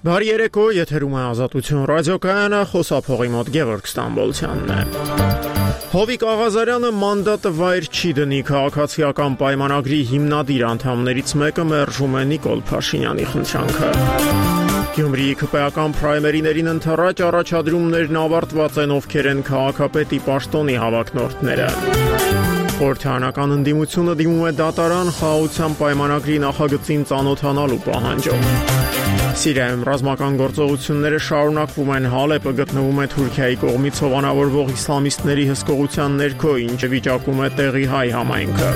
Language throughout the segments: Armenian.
Բարի երեկո, եթերում է Ազատություն ռադիոկայանը, խոսափողի մոտ Գևորգ Ստամբոլցյանն է։ Հովիկ Աղազարյանը մանդատը վայր չի դնի քաղաքացիական պայմանագրի հիմնադիր անդամներից մեկը մերժում է Նիկոլ Փաշինյանի խնդրանքը։ Գյումրիի քպեական պրայմերիներին ընթരാճ առաջադրումներն ավարտված են, ովքեր են քաղաքապետի պաշտոնի հավակնորդները։ Խորհրդարանական ընդդիմությունը դիմում է դատարան խաղաղության պայմանագրի նախագծին ծանոթանալու պահանջով։ Սիրիայում ռազմական գործողությունները շարունակվում են, Հալեպը գտնվում է Թուրքիայի կողմից հովանավորվող իսլամիստների հսկողության ներքո, ինչը վիճակում է տեղի հայ համայնքը։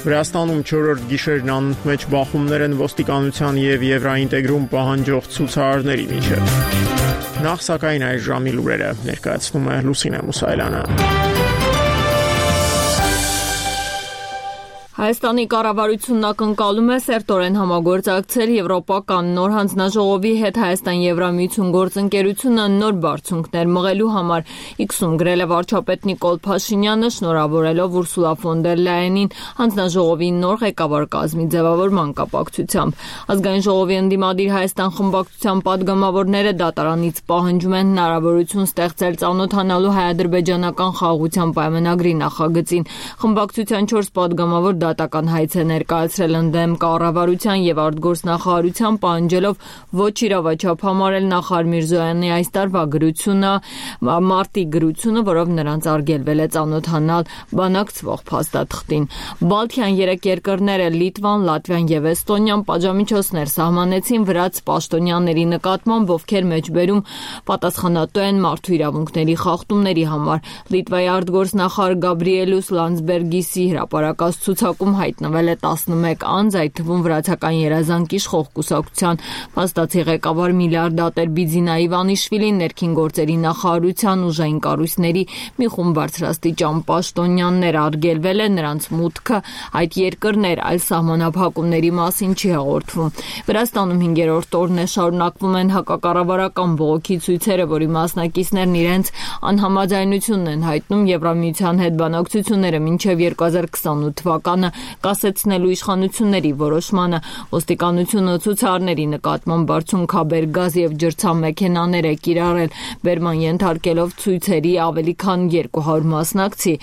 Վրաստանում 4-րդ գիշերն անընդմեջ բախումներ են ոստիկանության եւ Եվրոինտեգրում պահանջող ցուցարարների միջեւ։ Նախ սակայն այս ժամի լուրերը ներկայացնում է Լուսինե Մուսայելյանը։ Հայաստանի կառավարությունն ակնկալում է սերտորեն համագործակցել Եվրոպական նոր հանձնաժողովի հետ Հայաստան-Եվրամիություն գործընկերությունը նոր բարձունքներ մղելու համար, X-ում գրել է վարչապետ Նիկոլ Փաշինյանը, շնորհավորելով Ուրսուլա ֆոն դեր Լայենին հանձնաժողովի նոր ղեկավար կազմի ձևավորման կապակցությամբ։ Ազգային ժողովի ընդդիմադիր Հայաստան խմբակցության падգամավորները դատարանից պահանջում են հնարավորություն ստեղծել ծանոթանալու հայ-ադրբեջանական խաղաղության պայմանագրի նախագծին։ Խմբակցության 4 падգամավոր դատական հայց է ներկայացրել ընդդեմ կառավարության եւ արտգործնախարարության, պահանջելով ոչ իրավաչափ համարել նախարար Միրզոյանի այս տարվա գրությունը, մարտի գրությունը, որով նրանց արգելվել է ծանոթանալ բանակցվող փաստաթղթին։ Բալթյան 3 երկրները Լիտվան, Լատվիան եւ Էստոնիան պատժամիջոցներ սահմանեցին վրաց պաշտոնյաների նկատմամբ, ովքեր մեջբերում պատասխանատու են մարդու իրավունքների խախտումների համար։ Լիտվայի արտգործնախարար Գաբրիելուս Լանdsբերգիսի հրապարակած ցուցակում հայտնվել է 11 անձ, այդ թվում վրացական երազանք իշխող կուսակցության փաստացի ղեկավար միլիարդատեր Բիձինա Իվանիշվիլին, ներքին գործերի նախարարության ուժային կառույցների մի խումբ բարձրաստիճան պաշտոնյաներ, արգելվել է նրանց մուտքը այդ երկրներ, այլ սահմանափակումների մասին չի հաղորդվում։ Վրաստանում 5-րդ օրն է շարունակվում են հակակառավարական բողոքի ցույցերը, որի մասնակիցներն իրենց անհամաձայնությունն են հայտնում Եվրամիության հետ բանակցությունները մինչև 2028 թվականը կասեցնելու իշխանությունների որոշմանը։ Ոստիկանությունը ցուցարարների նկատմամբ բարձունքաբեր գազ եւ ջրցամեքենաներ է կիրառել, բերման ենթարկելով ցույցերի ավելի քան 200 մասնակցի։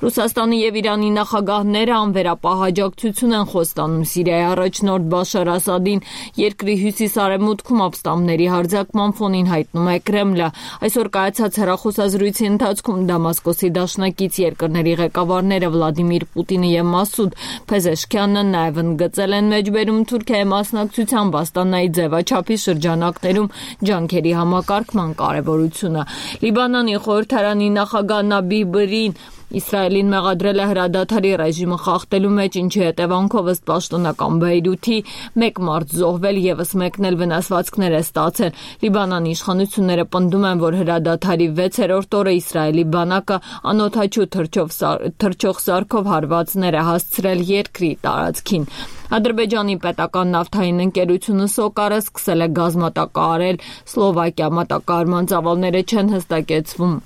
Ռուսաստանի եւ Իրանի նախագահները անվերապահ աջակցություն են խոստանում Սիրիայի առաջնորդ Բաշար Ասադին, երկրի հյուսիս-արևմուտքում ապստամբների հարձակման ֆոնին հայտնում է Կրեմլը։ Այսօր կայացած հեռախոսազրույցի ընթացքում Դամասկոսի դաշնակից երկրների ղեկավարները Վլադիմիր Պուտինը եւ Մասուդ Փեզեշքյանը նաև ընդգծել են մեջբերում Թուրքիայի մասնակցությամբ Աստանայի ձևաչափի շրջանակներում ջանքերի համակարգման կարևորությունը։ Լիբանանի խորհրդարանի նախագահ Նաբիհ Բրին Իսրայելին մեղադրել է հրադադարի ռեժիմը խախտելու մեջ, ինչի հետևանքով ըստ պաշտոնական Բեյրութի 1 մարդ զոհվել, եւս մեկն էլ վնասվածքներ է ստացել։ Լիբանանի իշխանությունները պնդում են, որ հրադադարի 6-րդ օրը Իսրայելի բանակը անօդաչու թռչող սարքով հարվածներ է հասցրել երկրի տարածքին։ Ադրբեջանի պետական նավթային ընկերությունը Սոկարը սկսել է գազ մատակարարել Սլովակիա, մատակարարման ծավալները չեն հստակեցվում։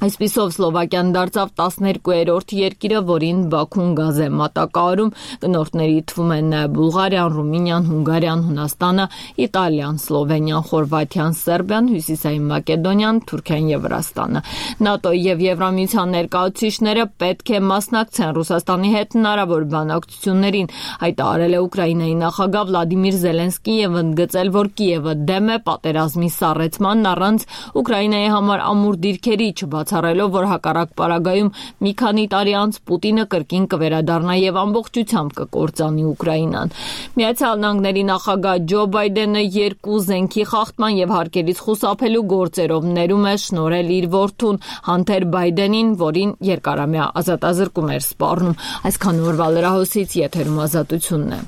Այսպիսով Սլովակիան դարձավ 12-րդ երկիրը, որին Բաքուն գազ է մատակարարում, գնորդների թվում են նաև Բուլղարիան, Ռումինիան, Հունգարիան, Հունաստանը, Իտալիան, Սլովենիան, Խորվաթիան, Սերբիան, Հյուսիսային Մակեդոնիան, Թուրքիան եւ Վրաստանը։ ՆԱՏՕ-ի եւ Եվրամիության ներկայացուցիչները պետք է մասնակցեն Ռուսաստանի հետ հնարավոր բանակցություններին, հայտարարել է Ուկրաինայի նախագահ Վլադիմիր Զելենսկին եւ ընդգծել, որ Կիևը դեմ է պատերազմի սառեցմանն առանց Ուկրաինայի համար ամուր դիրքերի բացառելով, որ հակառակ պարագայում մի քանի տարի անց Պուտինը կրկին կվերադառնա եւ ամբողջությամբ կկործանի Ուկրաինան։ Միացյալ Նահանգների նախագահ Ջո Բայդենը 2 զենքի խախտման եւ հարկերից խուսափելու գործերով ներում է շնորհել իր որդուն Հանթեր Բայդենին, որին երկարամյա ազատազրկում էր սպառնում։ Այսքան օրվա լրահոսից եթերում Ազատությունն է։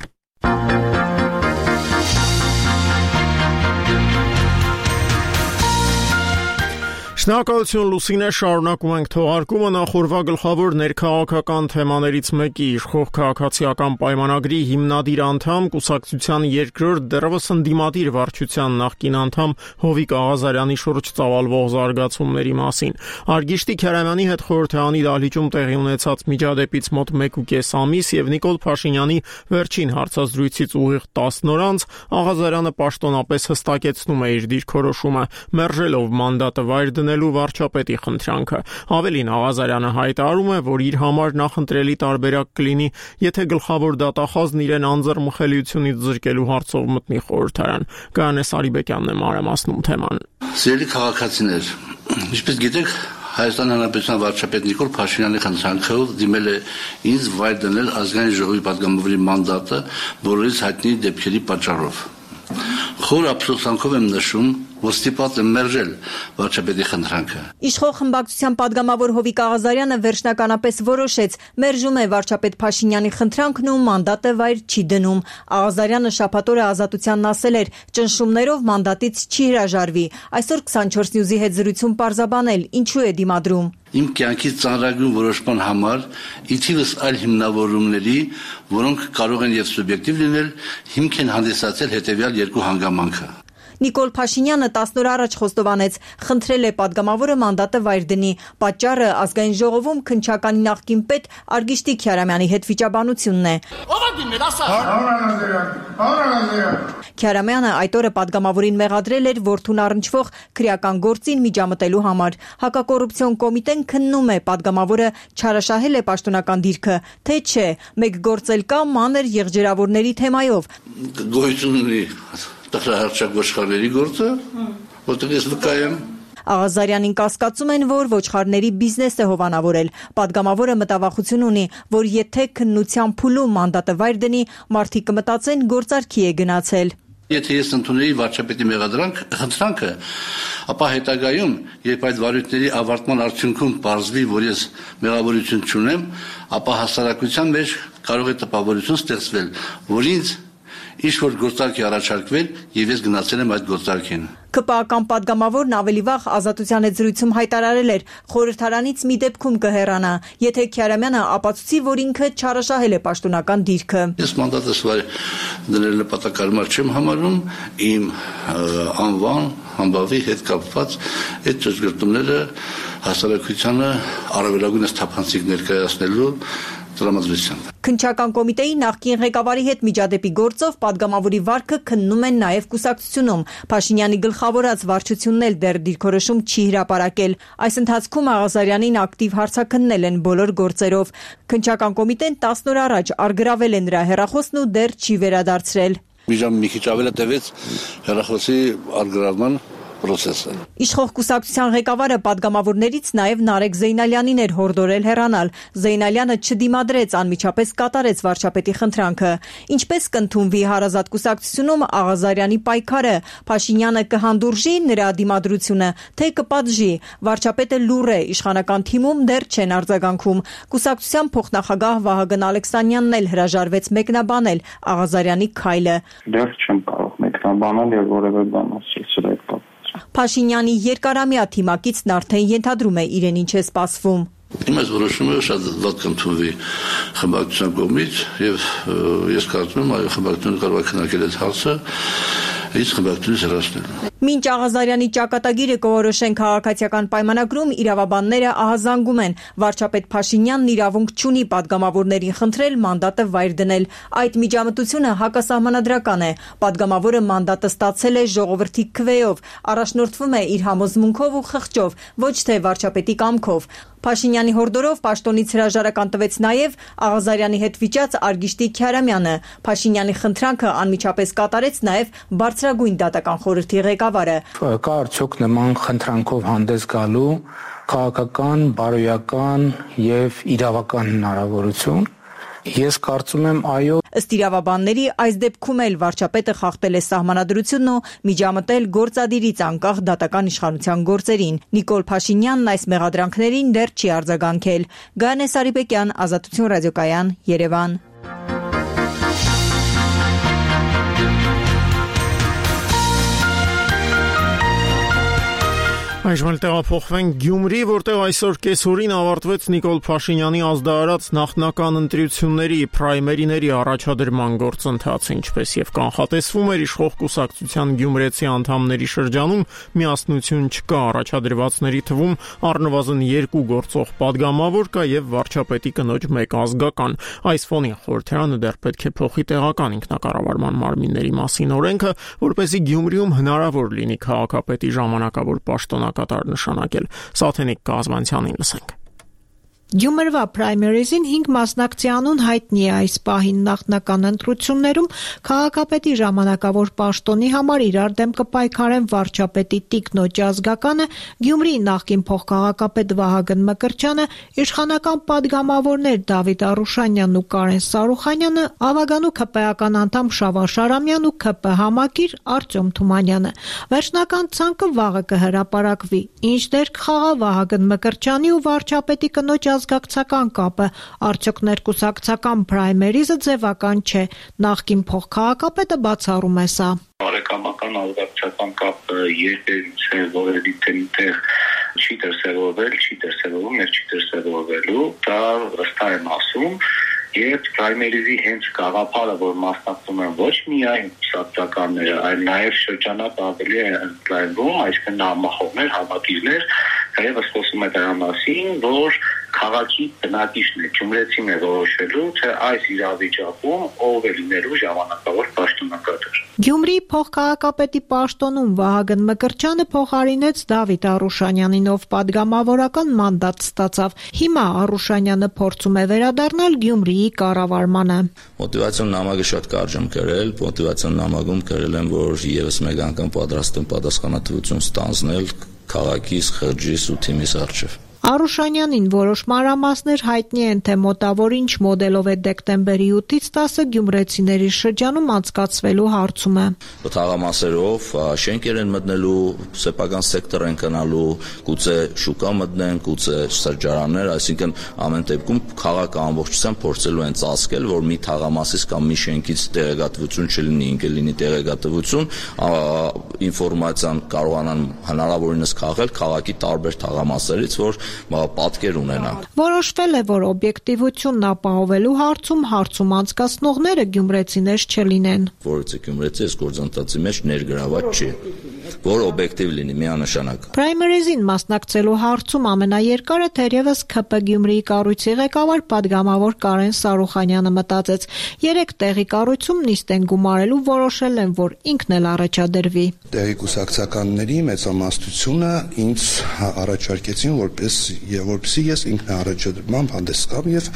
Շնորհակալություն Լուսինե, շարունակում ենք թողարկումը նախորդ գլխավոր ներքաղաքական թեմաներից մեկի իշխող քաղաքացիական պայմանագրի հիմնադիր անդամ կուսակցության երկրորդ դեռևս ընդդիմադիր վարչության նախկին անդամ Հովիկ Աղազարյանի շուրջ ծավալվող զարգացումների մասին։ Արգիշտի Քարամյանի հետ խորհրդարանի դահլիճում տեղի ունեցած միջադեպից մոտ 1.5 ամիս եւ Նիկոլ Փաշինյանի վերջին հարցազրույցից ուղիղ 10 օր անց Աղազարյանը պաշտոնապես հստակեցնում է իր դիրքորոշումը, մերժելով մանդատը վայր դնելու վարչապետի խնդրանքը։ Ավելին, Աղազարյանը հայտարարում է, որ իր համար նախընտրելի տարբերակ կլինի, եթե գլխավոր դատախազն իրեն անձեռմխելիությունից զրկելու հարցով մտնի խորհրդարան։ Գայանե Սարիբեկյանն է մանրամասնում թեման։ Սիրելի քաղաքացիներ, ինչպես գիտեք, Հայաստան Հանրապետության վարչապետ Նիկոլ Փաշինյանի խնդրանքով դիմել է ինձ վայր դնել ազգային ժողովի պատգամավորի մանդատը բոլորից հայտնի դեպքերի պատճառով։ Խոր ափսոսանքով եմ նշում, որ ստիպված եմ մերժել վարչապետի խնդրանքը։ Իշխող խմբակցության պատգամավոր Հովիկ Աղազարյանը վերջնականապես որոշեց մերժում է վարչապետ Փաշինյանի խնդրանքն ու մանդատը վայր չի դնում։ Աղազարյանը շաբաթ օրը Ազատությանն ասել էր, ճնշումներով մանդատից չի հրաժարվի։ Այսօր 24 News-ի հետ զրույցում պարզաբանել ինչու է դիմադրում։ Իմ կյանքի ծանրագույն որոշման համար ի թիվս այլ հիմնավորումների, որոնք կարող են եւ սուբյեկտիվ լինել, հիմք են հանդիսացել հետեւյալ երկու հանգամանքը։ Նիկոլ Փաշինյանը 10 օր առաջ խոստովանեց, խնդրել է պատգամավորը մանդատը վայր դնի։ Պատճառը ազգային ժողովում քննչականի նախկին պետ Արգիշտի Քարամյանի հետ վիճաբանությունն է։ Քարամյանը այդ օրը պատգամավորին մեղադրել էր որդուն առնչվող քրեական գործին միջամտելու համար։ Հակակոռուպցիոն կոմիտեն քննում է պատգամավորը չարաշահել է պաշտոնական դիրքը, թե չէ, մեկ գործ էլ կա մանր եղջերավորների թեմայով։ Գոյություն ունի տխրահարճակ ոչխարների գործը, որտեղ ես վկա եմ։ Աղազարյանին կասկածում են, որ ոչխարների բիզնես է հովանավորել։ Պատգամավորը մտավախություն ունի, որ եթե քննության փուլում մանդատը վայր դնի, մարդիկ կմտածեն գործարքի է գնացել։ Եթե ես ընդունեի վարչապետի խնդրանքը, ապա հետագայում, երբ այդ վարույթների ավարտման արդյունքում պարզվի, որ ես մեղավորություն չունեմ, ապա հասարակության մեջ կարող է տպավորություն ստեղծվել, որ ինձ ինչ-որ գործարք է առաջարկվել եւ ես գնացել եմ այդ գործարքին։ ԿՊԱ-ական պատգամավորն ավելի վաղ Ազատության հետ զրույցում հայտարարել էր, խորհրդարանից մի դեպքում կհեռանա, եթե Քարամյանը ապացուցի, որ ինքը չարաշահել է պաշտոնական դիրքը։ Ես մանդատս վայր դնել նպատակարար չեմ համարում, իմ անվան, համբավի հետ կապված այդ ճշգրտումները հասարակությանը առավելագույնս թափանցիկ ներկայացնելու տրամադրությամբ։ Քննչական կոմիտեի նախկին ղեկավարի հետ միջադեպի գործով պատգամավորի վարքը քննում են նաև կուսակցությունում։ Փաշինյանի գլխավորած վարչությունն էլ դեռ դիրքորոշում չի հրապարակել։ Այս ընթացքում Աղազարյանին ակտիվ հարցաքննել են բոլոր գործերով։ Քննչական կոմիտեն 10 օր առաջ արգրավել է նրա հեռախոսն ու դեռ չի վերադարձրել։ Մի ժամ մի քիչ ավել է տևեց հեռախոսի արգրավման process-ը։ Իշխող կուսակցության ղեկավարը պատգամավորներից նաև Նարեկ Զեյնալյանին էր հորդորել հեռանալ։ Զեյնալյանը չդիմադրեց, անմիջապես կատարեց վարչապետի խնդրանքը։ Ինչպես կընդունվի հարազատ կուսակցությունում Աղազարյանի պայքարը, Փաշինյանը կհանդուրժի նրա դիմադրությունը, թե կպատժի։ Վարչապետը լուռ է, իշխանական թիմում դեռ չեն արձագանքում։ Կուսակցության փոխնախագահ Վահագն Ալեքսանյանն էլ հրաժարվեց մեկնաբանել Աղազարյանի քայլը։ Դեռ չեմ կարող մեկնաբանել եւ որևէ բան ասել այդ կապ։ Փաշինյանի երկարամյա թիմակիցն արդեն ենթադրում է իրեն ինչ է սպասվում։ Իմ այս որոշումը շատ վատ կընդունվի խմբակցության կողմից եւ ես կարծում եմ, այո, խմբակցությունը կարող է քննարկել այդ հարցը, իսկ խմբակցությունից հեռացնել։ Մինչ Աղազարյանի ճակատագիրը կորոշեն քաղաքացիական պայմանագրում, իրավաբանները ահազանգում են, վարչապետ Փաշինյանն իրավունք չունի պատգամավորներին խնդրել մանդատը վայր դնել։ Այդ միջամտությունը հակասահմանադրական է։ Պատգամավորը մանդատը ստացել է ժողովրդի քվեով, առաջնորդվում է իր համոզմունքով ու խղճով, ոչ թե վարչապետի կամքով։ Փաշինյանի հորդորով պաշտոնից հրաժարական տվեց նաև Աղազարյանի հետ վիճած Արգիշտի Քարամյանը։ Փաշինյանի խնդրանքը անմիջապես կատարեց նաև բարձրագույն դատական խորհրդի ղեկավարը։ Կա արդյոք նման խնդրանքով հանդես գալու քաղաքական, բարոյական եւ իրավական հնարավորություն։ Ես կարծում եմ այո։ Ըստ իրավաբանների, այս դեպքում էլ վարչապետը խախտել է սահմանադրությունն ու միջամտել գործադիրից անկախ դատական իշխանության գործերին։ Նիկոլ Փաշինյանն այս մեղադրանքներին դեռ չի արձագանքել։ Գայանե Սարիբեկյան, Ազատություն ռադիոկայան, Երևան։ Այժմ տեղափոխվենք Գյումրի, որտեղ այսօր կեսօրին ավարտվեց Նիկոլ Փաշինյանի ազդարարած նախնական ընտրությունների պրայմերիների առաջադրման գործընթացը, ինչպես եւ կանխատեսվում էր իշխող կուսակցության գյումրեցի անդամների շրջանում միասնություն չկա առաջադրվածների թվում առնվազն 2 գործող падգամավոր կա եւ վարչապետի կնոջ 1 ազգական։ Այս ֆոնին խորհրդարանը դեռ պետք է փոխի տեղական ինքնակառավարման մարմինների մասին օրենքը, որպեսզի Գյումրիում հնարավոր լինի քաղաքապետի ժամանակավոր պաշտոնակատար նշանակել։ Սաթենիկ Կազմանցյանին լսենք։ Գյումրվա պրայմերիզին 5 մասնակցի անուն հայտնի է այս պահին նախնական ընտրություններում քաղաքապետի ժամանակավոր պաշտոնի համար իրար դեմ կպայքարեն վարչապետի տիկնոջ ազգականը, Գյումրիի նախկին փոխքաղաքապետ Վահագն Մկրտչյանը, իշխանական падգամավորներ Դավիթ Արուշանյանն ու Կարեն Սարուխանյանը, Ավագանու ՔՊ-ական անդամ Շավարժ Արամյանն ու ՔՊ համակիր Արտյոմ Թումանյանը։ Վերջնական ցանկը վաղը կհրապարակվի։ Ինչ դեր կխաղա Վահագն Մկրտչյանի ու վարչապետի կնոջ ազգակցական կապը, արդյոք ներկուսակցական պրայմերիզը ձևական չէ։ Նախկին փոխքաղաքապետը բացառում է սա։ Բարեկամական ազգակցական կապը երբևից է որևէ տեղ չի դրսևորվել, չի դրսևորվում եւ չի դրսևորվելու, դա վստահ եմ ասում։ Եվ պրայմերիզի հենց գաղափարը, որ մասնակցում են ոչ միայն կուսակցականները, այլ նաև շրջանակ ավելի է ընդլայնվում, այսինքն համախոհներ, համակիրներ, թեև խոսում է դրա մասին, որ քաղաքի բնակիչն է, գյումրեցին է որոշելու, թե այս իրավիճակում ով է լինելու ժամանակավոր պաշտոնակատար։ Գյումրիի փոխքաղաքապետի պաշտոնում Վահագն Մկրտչյանը փոխարինեց Դավիթ Արուշանյանին, ով падգամավորական մանդատ ստացավ։ Հիմա Արուշանյանը փորձում է վերադառնալ Գյումրիի կառավարմանը։ Մոտիվացիոն նամակը շատ կարճ եմ գրել, մոտիվացիոն նամակում գրել եմ, որ եւս մեկ անգամ պատրաստ եմ պատասխանատվություն ստանձնել քաղաքիս, խրջիս ու թիմիս առջև։ Արուշանյանին որոշ մանրամասներ հայտնի են, թե մոտավոր ինչ մոդելով է դեկտեմբերի 8-ից 10-ը գյումրեցիների շրջանում անցկացվելու հարցում է։ Թաղամասերով շենքեր են մտնելու, սեփական սեկտոր են գնալու, գուցե շուկա մտնեն, գուցե սրճարաններ, այսինքն ամեն դեպքում քաղաքը ամբողջությամբ փորձելու են ծածկել, որ մի թաղամասից կամ մի շենքից տեղեկատվություն չլինի, ինքը լինի տեղեկատվություն, ինֆորմացիան կարողանան հնարավորինս քաղել քաղաքի տարբեր թաղամասերից, որ պատկեր ունենանք։ Որոշվել է, որ օբյեկտիվությունն ապահովելու հարցում անցկացնողները գյումրեցիներ չլինեն։ Որից է գյումրեցի այս գործընթացի մեջ ներգրաված չի, որ օբյեկտիվ լինի միանշանակ։ Պրայմերիզին մասնակցելու հարցում ամենաերկարը թերևս ՔՊ Գյումրիի կառույցի ղեկավար падգամավոր Կարեն Սարուխանյանը մտածեց։ 3 տեղի կառույցում նիստ են գումարելու, որոշել են, որ ինքն էլ առաջադրվի։ Տեղի կուսակցականների մեծամասնությունը ինձ առաջարկեցին, որպեսզի ես ինքնաառաջադրմամբ հանդես գամ եւ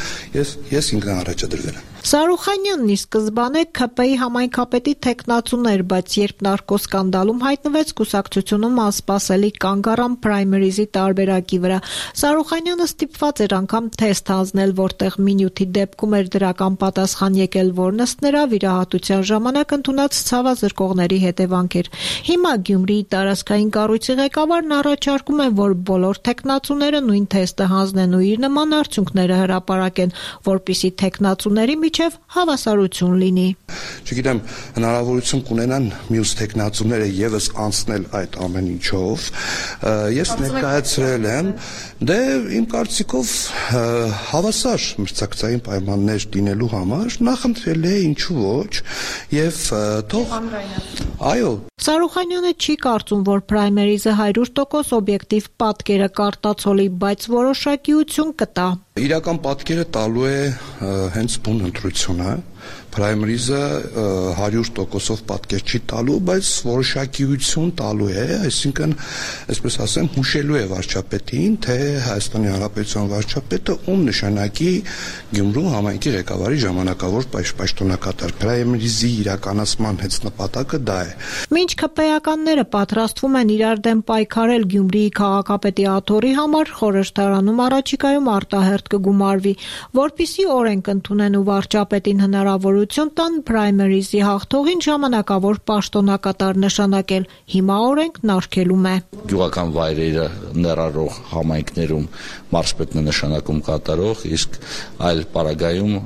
ես ինքնաառաջադրվել եմ։ Սարուխանյանն ի սկզբանե ՔՊ-ի համայնքապետի թեկնածուն էր, բայց երբ նարկոսկանդալում հայտնվեց, կուսակցությունում անսպասելի կանգ առան պրայմերիզի տարբերակի վրա։ Սարուխանյանը ստիպված էր անգամ թեստ հանձնել, որտեղ մինյութի դեպքում էր դրական պատասխան եկել, որն ըստ նրա վիրահատության ժամանակ ընդունած ցավազրկողների հետևանք էր։ Հիմա Գյումրիի տարածքային կառույցի ղեկավարն առաջարկում է, որ բոլոր թեկնածուները նույն թեստը հանձնեն ու իր նման արդյունքները հրապարակեն, որպեսզի թեկնածուների միջև հավասարություն լինի։ Չգիտեմ, հնարավորություն կունենան մյուս տեխնացուները եւս անցնել այդ ամեն ինչով։ Ես ներկայացրել եմ, դե իմ կարծիքով հավասար մրցակցային պայմաններ դինելու համար նախընտրել է, ինչու ոչ, եւ թող այո։ Սարուխանյանը չի կարծում, որ պրայմերիզը 100% օբյեկտիվ պատկերը կարտացոլի, բայց որոշակիություն կտա։ Իրական պատկերը տալու է հենց բուն ընտրությունը։ Պրայմերիզը 100%-ով պատկեր չի տալու, բայց որոշակիություն տալու է, այսինքն, այսպես ասեմ, հուշելու է վարչապետին, թե Հայաստանի Հանրապետության վարչապետը ում նշանակի Գյումրու համայնքի ղեկավարի ժամանակավոր պաշտոնակատար։ Պրայմերիզի իրականացման հենց նպատակը դա է։ Մինչ ՔՊ-ականները պատրաստվում են իրար դեմ պայքարել Գյումրիի քաղաքապետի աթոռի համար, խորհրդարանում առաջիկայում արտահերթ կգումարվի, որպիսի օրենք ընդունեն ու վարչապետին հնարավորություն ընտրություն տան պրայմերիզի հաղթողին ժամանակավոր պաշտոնակատար նշանակել։ Հիմա օրենքն արգելում է։ Գյուղական վայրերը ներառող համայնքներում մարզպետն է նշանակում կատարող, իսկ այլ պարագայում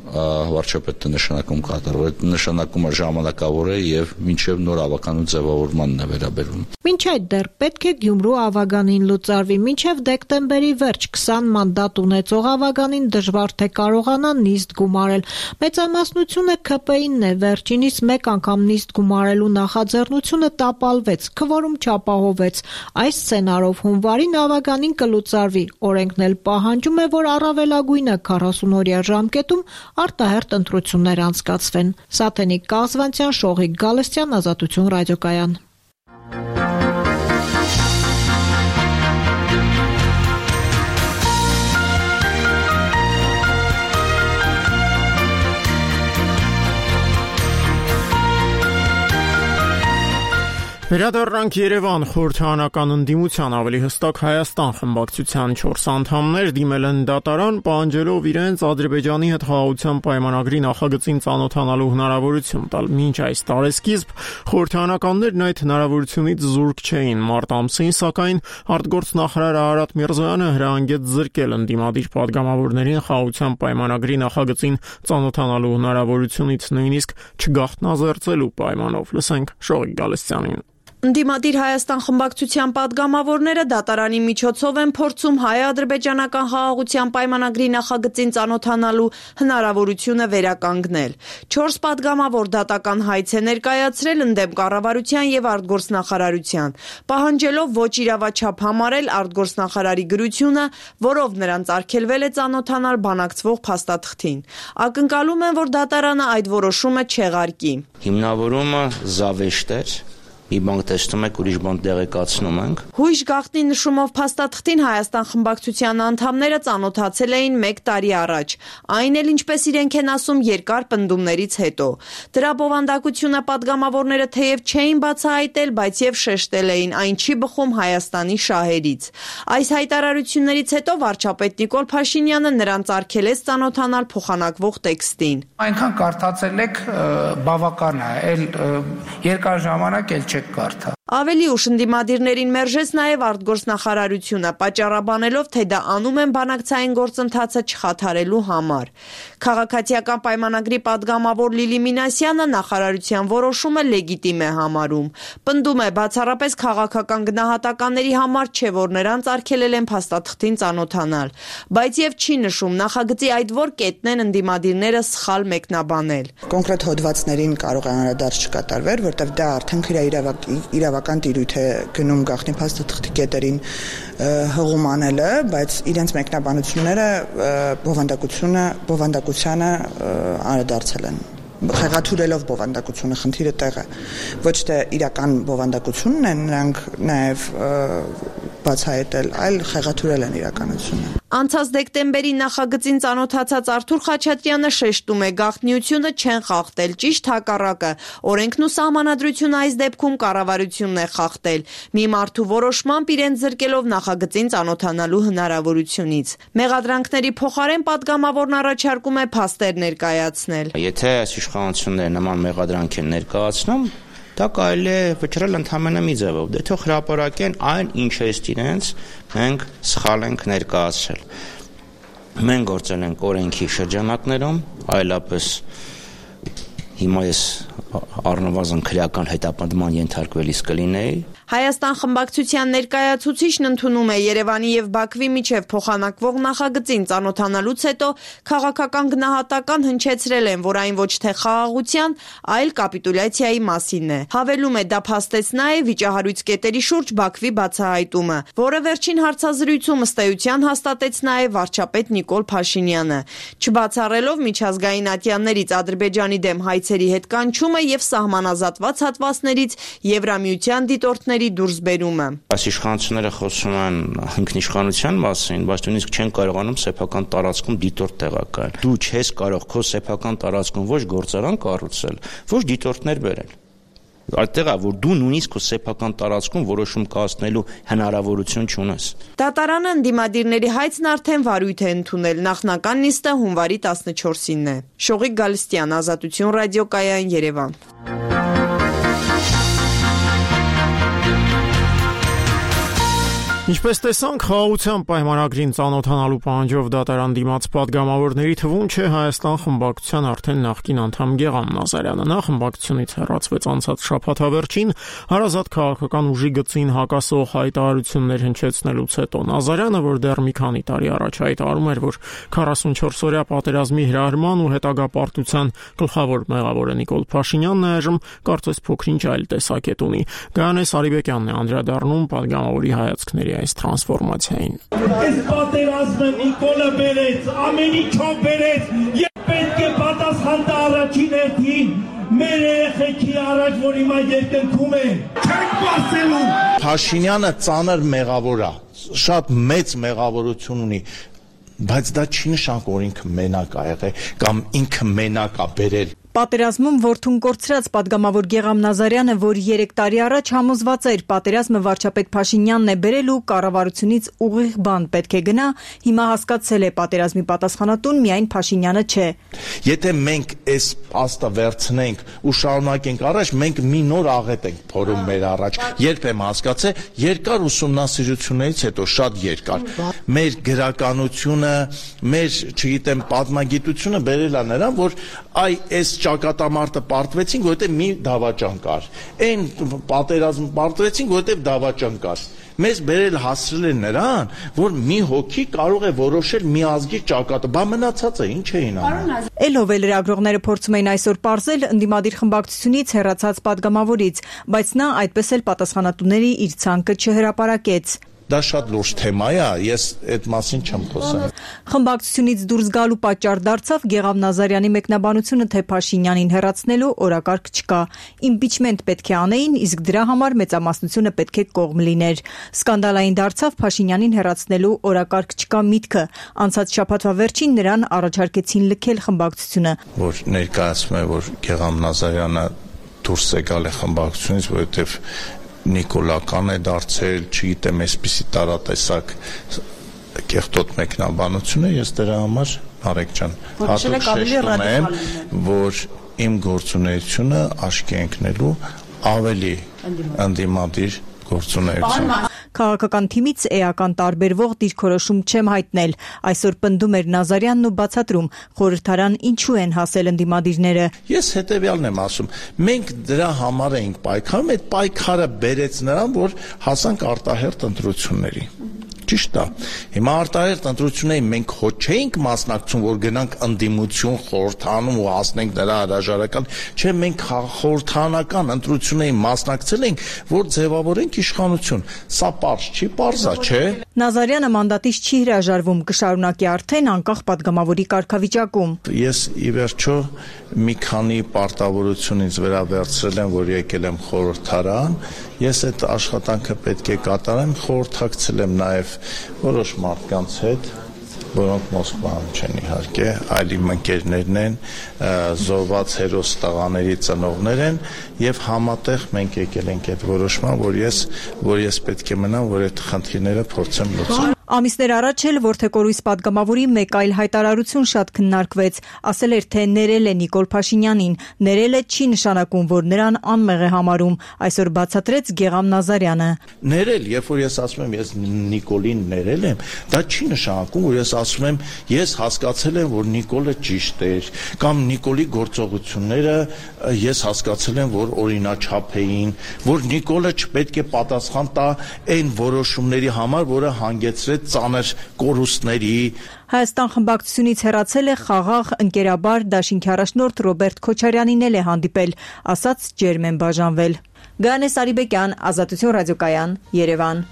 վարչապետն է նշանակում կատարող։ Այդ նշանակումը ժամանակավոր է եւ մինչեւ նոր ավականու ձևավորմանն է վերաբերվում։ Մինչ այդ դեռ պետք է Գյումրու ավագանին լուծարվի, մինչև դեկտեմբերի վերջ 20 մանդատ ունեցող ավագանին դժվար թե կարողանա նիստ գումարել։ Մեծամասնությունը ՔՊԻ-նն է, վերջինիս մեկ անգամ նիստ գումարելու նախաձեռնությունը տապալվեց, քվորում չապահովեց։ Այս սցենարով հունվարին ավագանին կլուծարվի։ Օրենքն էլ պահանջում է, որ առավելագույնը 40-օրյա ժամկետում արտահերթ ընտրություններ անցկացվեն։ Սաթենիկ Կազվանցյան, Շողիկ Գալստյան, Ազատություն ռադիոկայան։ Վերադառնանք Երևան, խորհրդարանական ընդդիմության, ավելի հստակ Հայաստան խմբակցության 4 անդամներ դիմել են դատարան, պահանջելով իրենց Ադրբեջանի հետ խաղաղության պայմանագրի նախագծին ծանոթանալու հնարավորություն տալ։ Մինչ այս տարեսկիզբ խորհրդարանականներն այդ հնարավորությունից զուրկ չէին։ Մարտ ամսին, սակայն, արտգործնախարար Արարատ Միրզոյանը հրահանգեց զրկել ընդդիմադիր падգամավորներին խաղաղության պայմանագրի նախագծին ծանոթանալու հնարավորությունից, նույնիսկ չգաղտնազերծելու պայմանով։ Լսենք Շողիկ Գալստյանին։ Ընդդիմադիր Հայաստան խմբակցության падգամավորները դատարանի միջոցով են փորձում հայ-ադրբեջանական խաղաղության պայմանագրի նախագծին ծանոթանալու հնարավորությունը վերականգնել։ 4 падգամավոր դատական հայց է ներկայացրել ընդդեմ կառավարության եւ արտգործնախարարության, պահանջելով ոչ իրավաչափ համարել արտգործնախարարի գրությունը, որով նրանց արգելվել է ծանոթանալ բանակցվող փաստաթղթին։ Ակնկալում են, որ դատարանը այդ որոշումը չեղարկի։ Հիմնավորումը զավեշտ էր։ Մի բան տեսնում եք, ուրիշ բան տեղեկացնում ենք։ Հույժ գաղտնի նշումով փաստաթղթին Հայաստան խմբակցության անդամները ծանոթացել էին 1 տարի առաջ, այն էլ ինչպես իրենք են ասում երկար պնդումներից հետո։ Դրա բովանդակությունը падգամավորները թեև չէին բացահայտել, բայց եւ շեշտել էին, այն չի բխում Հայաստանի շահերից։ Այս հայտարարություններից հետո վարչապետ Նիկոլ Փաշինյանը նրանց արգելեց ծանոթանալ փոխանակվող տեքստին։ Այնքան կարդացել եք, բավական է, այլ երկար ժամանակ էլ կարթա։ Ավելի ուշ ընդդիմադիրներին մերժեց նաև արտգործնախարարությունը, պատճառաբանելով, թե դա անում են բանակցային գործընթացը չխաթարելու համար։ Քաղաքացիական պայմանագրի падգամավոր Լիլի Մինասյանը նախարարության որոշումը լեգիտիմ է համարում։ Պնդում է, բացառապես քաղաքական գնահատականների համար չէ, որ նրանց արգելել են փաստաթղթին ծանոթանալ, բայց եւ չի նշում նախագծի այդ որ կետն են ընդդիմադիրները սխալ մեկնաբանել։ Կոնկրետ հոդվածներին կարող է անդրադարձ չկատարվել, որտեղ դա արդեն իրավական տիրույթ է գնում գաղտնի փաստաթղթի կետերին հղում անելը, բայց իրենց մեկնաբանությունները բովանդակությանը անդրադարձել են։ Խեղաթյուրելով բովանդակությունը, խնդիրը տեղ է։ Ոչ թե իրական բովանդակությունն են նրանք նաև բացահայտել, այլ խեղաթյուրել են իրականությունը։ Անցած դեկտեմբերի նախագծին ծանոթացած Արթուր Խաչատրյանը շեշտում է, գաղտնիությունը չեն խախտել, ճիշտ հակառակը, օրենքն ու սահմանադրությունը այս դեպքում կառավարությունն է խախտել, մի մարդու որոշմամբ իրենց զրկելով նախագծին ծանոթանալու հնարավորությունից։ Մեղադրանքների փոխարեն падգամավորն առաջարկում է փաստեր ներկայացնել։ Եթե այս իշխանությունները նման մեղադրանք են ներկայացնում, դա կարելի է վճռել ընդհանրապես մի ձևով, դե թող հրապարակեն այն, ինչ է իրենց մենք սխալ ենք ներկայացրել։ Մենք գործել ենք օրենքի շրջանակներում, այլապես հիմա ես առնվազն քրեական հետապնդման ենթարկվելիս կլինեի։ Հայաստան խմբակցության ներկայացուցիչն ընդունում է Երևանի եւ Բաքվի միջև փոխանակվող նախագծին ծանոթանալուց հետո քաղաքական գնահատական հնչեցրել են, որ այն ոչ թե խաղաղության, այլ կապիտուլյացիայի մասին է։ Հավելում է, դա փաստեցնա է վիճահարույց կետերի շուրջ Բաքվի բացահայտումը, որը վերջին հարցազրույցում ըստ էության հաստատեց նաեւ վարչապետ Նիկոլ Փաշինյանը, չբացառելով միջազգային ատյաններից Ադրբեջանի դեմ հայցերի հետ կանչումը եւ սահմանազատված հատվածներից Եվրամիության դիտորդների դուրսբերումը։ Այս իշխանությունները խոսում են ինքնիշխանության մասին, բայց նույնիսկ չեն կարողանում սեփական տարածքում դիտորդ տեղակայել։ Դու չես կարող քո սեփական տարածքում ոչ գործարան կառուցել, ոչ դիտորդներ բերել։ Այդտեղ է, որ դու նույնիսկ քո սեփական տարածքում որոշում կայացնելու հնարավորություն չունես։ Դատարանը ընդդիմադիրների հայցն արդեն վարույթ է ընդունել, նախնական նիստը հունվարի 14-ին է։ Շողիկ Գալստյան, Ազատություն ռադիոկայան, Երևան։ Ինչպես տեսանք, խաղաղության պայմանագրին ծանոթանալու պահանջով դատարան դիմաց падգամավորների թվում չէ Հայաստան խմբակցության արդեն նախկին անդամ Գեգամ Նազարյանը։ Նա խմբակցությունից հեռացվեց անցած շաբաթավերջին հարազատ քաղաքական ուժի գծին հակասող հայտարարություններ հնչեցնելուց հետո։ Նազարյանը, որ դեռ մի քանի տարի առաջ հայտարարում էր, որ 44-օրյա պատերազմի հրահրման ու հետագա պարտության գլխավոր մեղավորը Նիկոլ Փաշինյանն է, այժմ կարծես փոքրինչ այլ տեսակետ ունի։ Գայանե Սարիբեկյանն է անդրադառնում падգամավորի հայացքների այս տրանսֆորմացիային։ Այս պատերազմը Նիկոլը բերեց, ամեն ինչով բերեց, եւ պետք է պատասխան տա առաջին հերթին մեր երեխեքի առաջ, որ հիմա երկնքում է, չենք բացելու։ Փաշինյանը ծանր մեղավոր է, շատ մեծ մեղավորություն ունի, բայց դա չի նշանակում, որ ինքը մենակ ա եղել կամ ինքը մենակ ա բերել։ Պատերազմում որդուն կորցրած падգամավոր Գեգամ Նազարյանը, որ 3 տարի առաջ համոզված էր պատերազմը վարչապետ Փաշինյանն է բերել ու կառավարությունից ուղիղ բան պետք է գնա, հիմա հասկացել է պատերազմի պատասխանատուն միայն Փաշինյանը չէ։ Եթե մենք այս փաստը վերցնենք ու շարունակենք առաջ, մենք մի նոր աղետ ենք փորում մեր առաջ։ Երբ եմ հասկացել, երկար ուսումնասիրություններից հետո, շատ երկար, մեր գրականությունը, մեր, չգիտեմ, պատմագիտությունը բերել է նրան, որ այս ճակատամարտը պարտվեցինք, որովհետև մի դավաճան կար։ Այն պատերազմ պարտվեցինք, որովհետև դավաճան կար։ Մեզ բերել հասցրել են նրան, որ մի հոգի կարող է որոշել մի ազգի ճակատը։ Բա մնացածը ինչ էին անում։ Էլով է լրագրողները փորձում էին այսօր պարզել ընդդիմադիր խմբակցությունից հեռացած падգամավորից, բայց նա այդպես էլ պատասխանատուների իր ցանկը չհրապարակեց։ Դա շատ լուրջ թեմա է, ես այդ մասին չեմ խոսում։ Խմբակցությունից դուրս գալու պատճառ դարձավ Գեգամ Նազարյանի մեկնաբանությունը, թե Փաշինյանին հեռացնելու օրակարգ չկա։ Իմպիչմենտ պետք է անեին, իսկ դրա համար մեծամասնությունը պետք է կողմ լիներ։ Սկանդալային դարձավ Փաշինյանին հեռացնելու օրակարգ չկա միտքը։ Անցած շաբաթվա վերջին նրան առաջարկեցին լքել խմբակցությունը։ Որ ներկայացնում է, որ Գեգամ Նազարյանը դուրս է գալ է խմբակցությունից, որովհետև նիկոլական է դարձել, չգիտեմ, այսպիսի տարատեսակ կեղտոտ մեկնաբանություն է, ես դրա համար Արեգ ջան հատուկ շեշտում եմ, որ իմ գործունեությունը աչքի ընկնելու ավելի ընդդիմադիր գործունեություն։ Քաղաքական թիմից էական տարբերվող դիրքորոշում չեմ հայտնել։ Այսօր պնդում էր Նազարյանն ու բացատրում, խորհրդարան ինչու են հասել ընդդիմադիրները։ Ես հետևյալն եմ ասում, մենք դրա համար էինք պայքարում, այդ պայքարը բերեց նրան, որ հասանք արտահերթ ընտրությունների։ Ճիշտ է։ Հիմա արտահերթ ընտրություններին մենք հո չէինք մասնակցում, որ գնանք ընդդիմություն խորհրդանում ու հասնենք նրա հրաժարական, չէ, մենք խորհրդանական ընտրություններին մասնակցել ենք, որ ձևավորենք իշխանություն։ Սա պարզ չի, պարզ է, չէ։ Նազարյանը մանդատից չի հրաժարվում, կշարունակի արդեն անկախ падգամավորի կարգավիճակում։ Ես ի վերջո մի քանի պարտավորությունից վերաբերցրել եմ, որ եկել եմ խորհրդարան, ես այդ աշխատանքը պետք է կատարեմ, խորհրդակցել եմ նաև որոշ մարդկանց հետ, որոնք Մոսկվայում չեն իհարկե, այլ իմ ընկերներն են, զոհված հերոս տղաների ծնողներ են, եւ համատեղ մենք եկել ենք այդ որոշման, որ ես պետք է մնամ, որ այդ խնդիրները փորձեմ լուծել։ Ամիսներ առաջ էլ Որդեկորույս падգամավորի մեկ այլ հայտարարություն շատ քննարկվեց, ասել էր, թե ներել է Նիկոլ Փաշինյանին, ներելը չի նշանակում, որ նրան անմեղ է համարում, այսօր բացատրեց Գեգամ Նազարյանը։ Ներել, երբ որ ես ասում եմ, ես Նիկոլին ներել եմ, դա չի նշանակում, որ ես ասում եմ, ես հասկացել եմ, որ Նիկոլը ճիշտ էր, կամ Նիկոլի գործողությունները ես հասկացել եմ, որ օրինաչափ էին, որ Նիկոլը չպետք է պատասխան տա այն որոշումների համար, որը հանգեցրեց ծանր կորուստների։ Հայաստան խմբակցությունից հեռացել է խաղաղ ընկերաբար դաշինքի առաջնորդ Ռոբերտ Քոչարյանին էլ է հանդիպել, ասաց ջերմ են բաժանվել։ Գայանե Սարիբեկյան, Ազատություն ռադիոկայան, Երևան։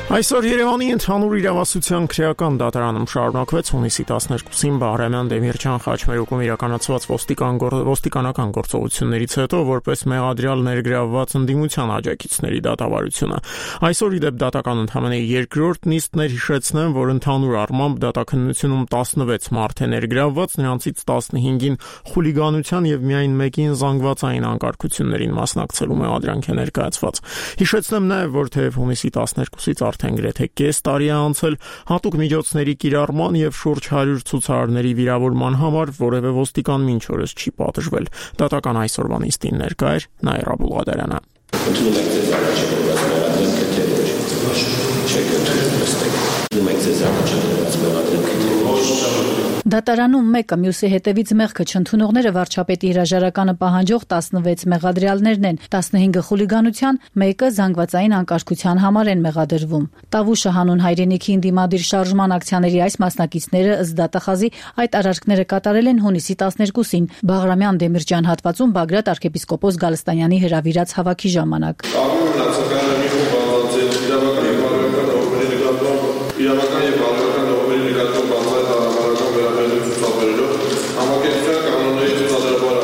Այսօր Երևանի ընդհանուր իրավասության քրեական դատարանում շարունակվեց հունիսի 12-ին Բաղրամյան Դեմիրճան խաչմերուկում իրականացված ոստիկանական գործողություններից հետո որպես մեղադրյալ ներգրավված ընդդիմության աջակիցների դատավարությունը։ Այսօր ի դեպ դատական ընդհանրապես երկրորդ նիստն էր, հիշեցնեմ, որ ընդհանուր առմամբ դատաքննությունում 16 մարդ է ներգրավված, նրանցից 15-ին խուլիգանության եւ միայն մեկին զանգվածային անկարգություններին մասնակցելու մեղադրանք է ներկայացված։ Հիշեցնեմ նաեւ, որ թեև հունիսի 12-ից արդեն գրեթե կես տարի է անցել, հատուկ միջոցների կիրառման եւ շուրջ 100 ցուցարարների վիրավորման համար որևէ ոստիկան մինչ օրս չի պատժվել։ Դատական այսօրվա նիստին ներկա էր Նաիրա Բուլղադարյանը։ Դատարանում մեկը մյուսի հետևից մեղքը չընդունողները վարչապետի հրաժարականը պահանջող 16 մեղադրյալներն են, 15-ը խուլիգանության, մեկը զանգվածային անկարգության համար են մեղադրվում։ Տավուշը հանուն հայրենիքի ընդդիմադիր շարժման ակցիաների այս մասնակիցները ըստ դատախազի այդ արարքները կատարել են հունիսի 12-ին Բաղրամյան Դեմիրճան հատվածում Բագրատ arczepiskopos Գալստանյանի հրավիրած հավաքի ժամանակ։ Իրավական եւ բարոյական նորմերի նկատմամբ բացահայտ հարաբերական վերաբերյալ ցուցաբերելով համակերպության կանոնների ցուցադրաբար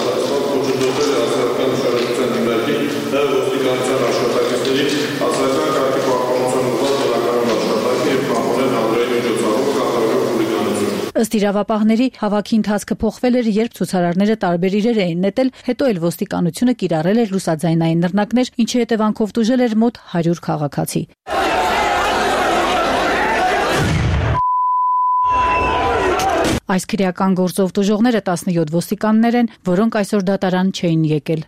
խոչընդոտել է հասարակական ուշադրության դիմարկի եւ ոստիկանության աշխատակիցների հասարակական կարգի պահպանության ուղղված բնականոն աշխատանքի եւ պահպանել հանրային միջոցառում կատարելով խուլիգանություն։ Ըստ իրավապահների հավաքի ընթացքը փոխվել էր, երբ ցուցարարները տարբեր իրեր էին նետել, հետո էլ ոստիկանությունը կիրառել էր ռուսաձայնային նռնակներ, ինչի հետևանքով տուժել էր մոտ 100 քաղաքացի։ Այս քրեական գործով տուժողները 17 ոստիկաններ են, որոնք այսօր դատարան չէին եկել։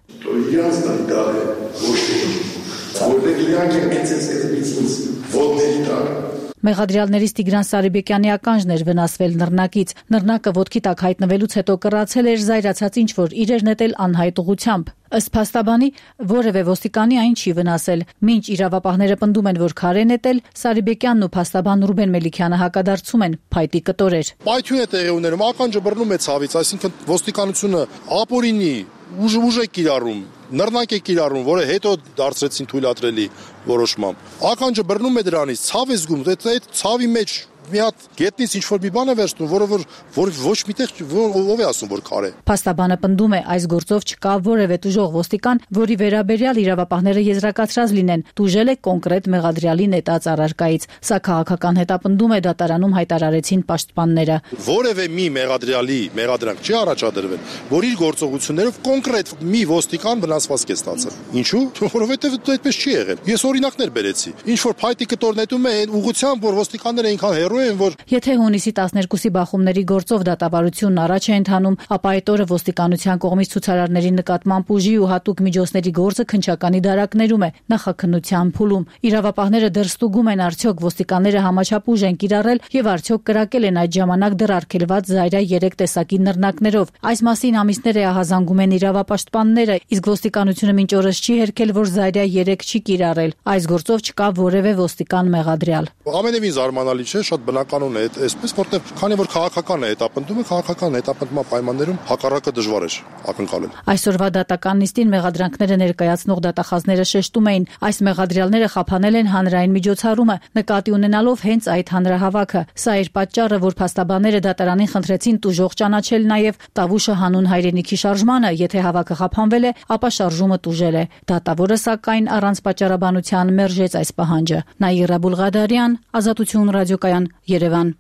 Մեղադրյալներից Տիգրան Սարիբեկյանի ականջն էր վնասվել նռնակից։ Նռնակը ոտքի տակ հայտնվելուց հետո կռացել էր զայրացած ինչ-որ իրեր նետել անհայտ ուղղությամբ։ Ըստ փաստաբանի, որևէ ոստիկանի այն չի վնասել։ Մինչ իրավապահները պնդում են, որ քար է նետել, Սարիբեկյանն ու փաստաբան Ռուբեն Մելիքյանը հակադարձում են փայտի կտորեր։ Պայթյուն է տեղի ունենում, ականջը բռնում է ցավից, այսինքն ոստիկանությունը ապօրինի ուժ է կիրառում, նռնակ է կիրառում, որը հետո դարձրեցին թույլատրելի որոշմամբ։ Ականջը բռնում է դրանից, ցավ է զգում, այդ ցավի մեջ մի հատ գետնից ինչ-որ մի բան է վերցնում, որ ոչ միտեղ ով է ասում, որ քար է։ Փաստաբանը պնդում է, այս գործով չկա որևէ տուժող ոստիկան, որի վերաբերյալ իրավապահները եզրակացրած լինեն, տուժել է կոնկրետ մեղադրյալի նետած առարկայից։ Սա քաղաքական հետապնդում է դատարանում հայտարարեցին պաշտպանները։ Որևէ մի մեղադրյալի մեղադրանք չի առաջադրվել, որ իր գործողություններով կոնկրետ մի ոստիկան վնասվածք է ստացել։ Ինչու՞։ Որովհետև դա այդպես չի եղել։ Ես օրինակներ բերեցի։ Ինչ որ փայտի կտոր նետում է այն ուղղությամբ, որ ոստիկանները այնքան հեռու են, որ Եթե հունիսի 12-ի բախումների գործով դատավարությունն առաջ է ընթանում, ապա այդ օրը ոստիկանության կողմից ցուցարարների նկատմամբ ուժի ու հատուկ միջոցների գործը քննչականի դարակներում է, նախաքննության փուլում։ Իրավապահները դեռ ստուգում են, արդյոք ոստիկանները համաչափ ուժ են կիրառել եւ արդյոք կրակել են այդ ժամանակ դեռ արգելված զայրա 3 տեսակի նռնակներով։ Այս մասին ամիսներ է ահազանգում են իրավապաշտպանները, իսկ ոստիկանությունը մինչ օրս չի հերքել, որ զայրա 3 չի կիրառել։ Այս գործով չկա որևէ ոստիկան մեղադրյալ։ Ամենևին զարմանալի չէ, շատ բնականon է այսպես, որտեղ քանի որ քաղաքական է հետապնդումը, քաղաքական հետապնդման պայմաններում հակառակը դժվար է ակնկալել։ Այսօրվա դատական նիստին մեղադրանքները ներկայացնող դատախազները շեշտում էին, այս մեղադրյալները խափանել են հանրային միջոցառումը, նկատի ունենալով հենց այդ հանրահավաքը։ Սա էր պատճառը, որ փաստաբանները դատարանին խնդրեցին տուժող ճանաչել նաև Տավուշը հանուն հայրենիքի շարժմանը, եթե հավաքը խափանվել է, ապա շարժումը տուժել է։ Դատավորը սակայն առանց պատճառաբանության մերժեց այս պահանջը։ Նաիրա Բուլղադարյան, Ազատություն ռադիոկայան, Երևան։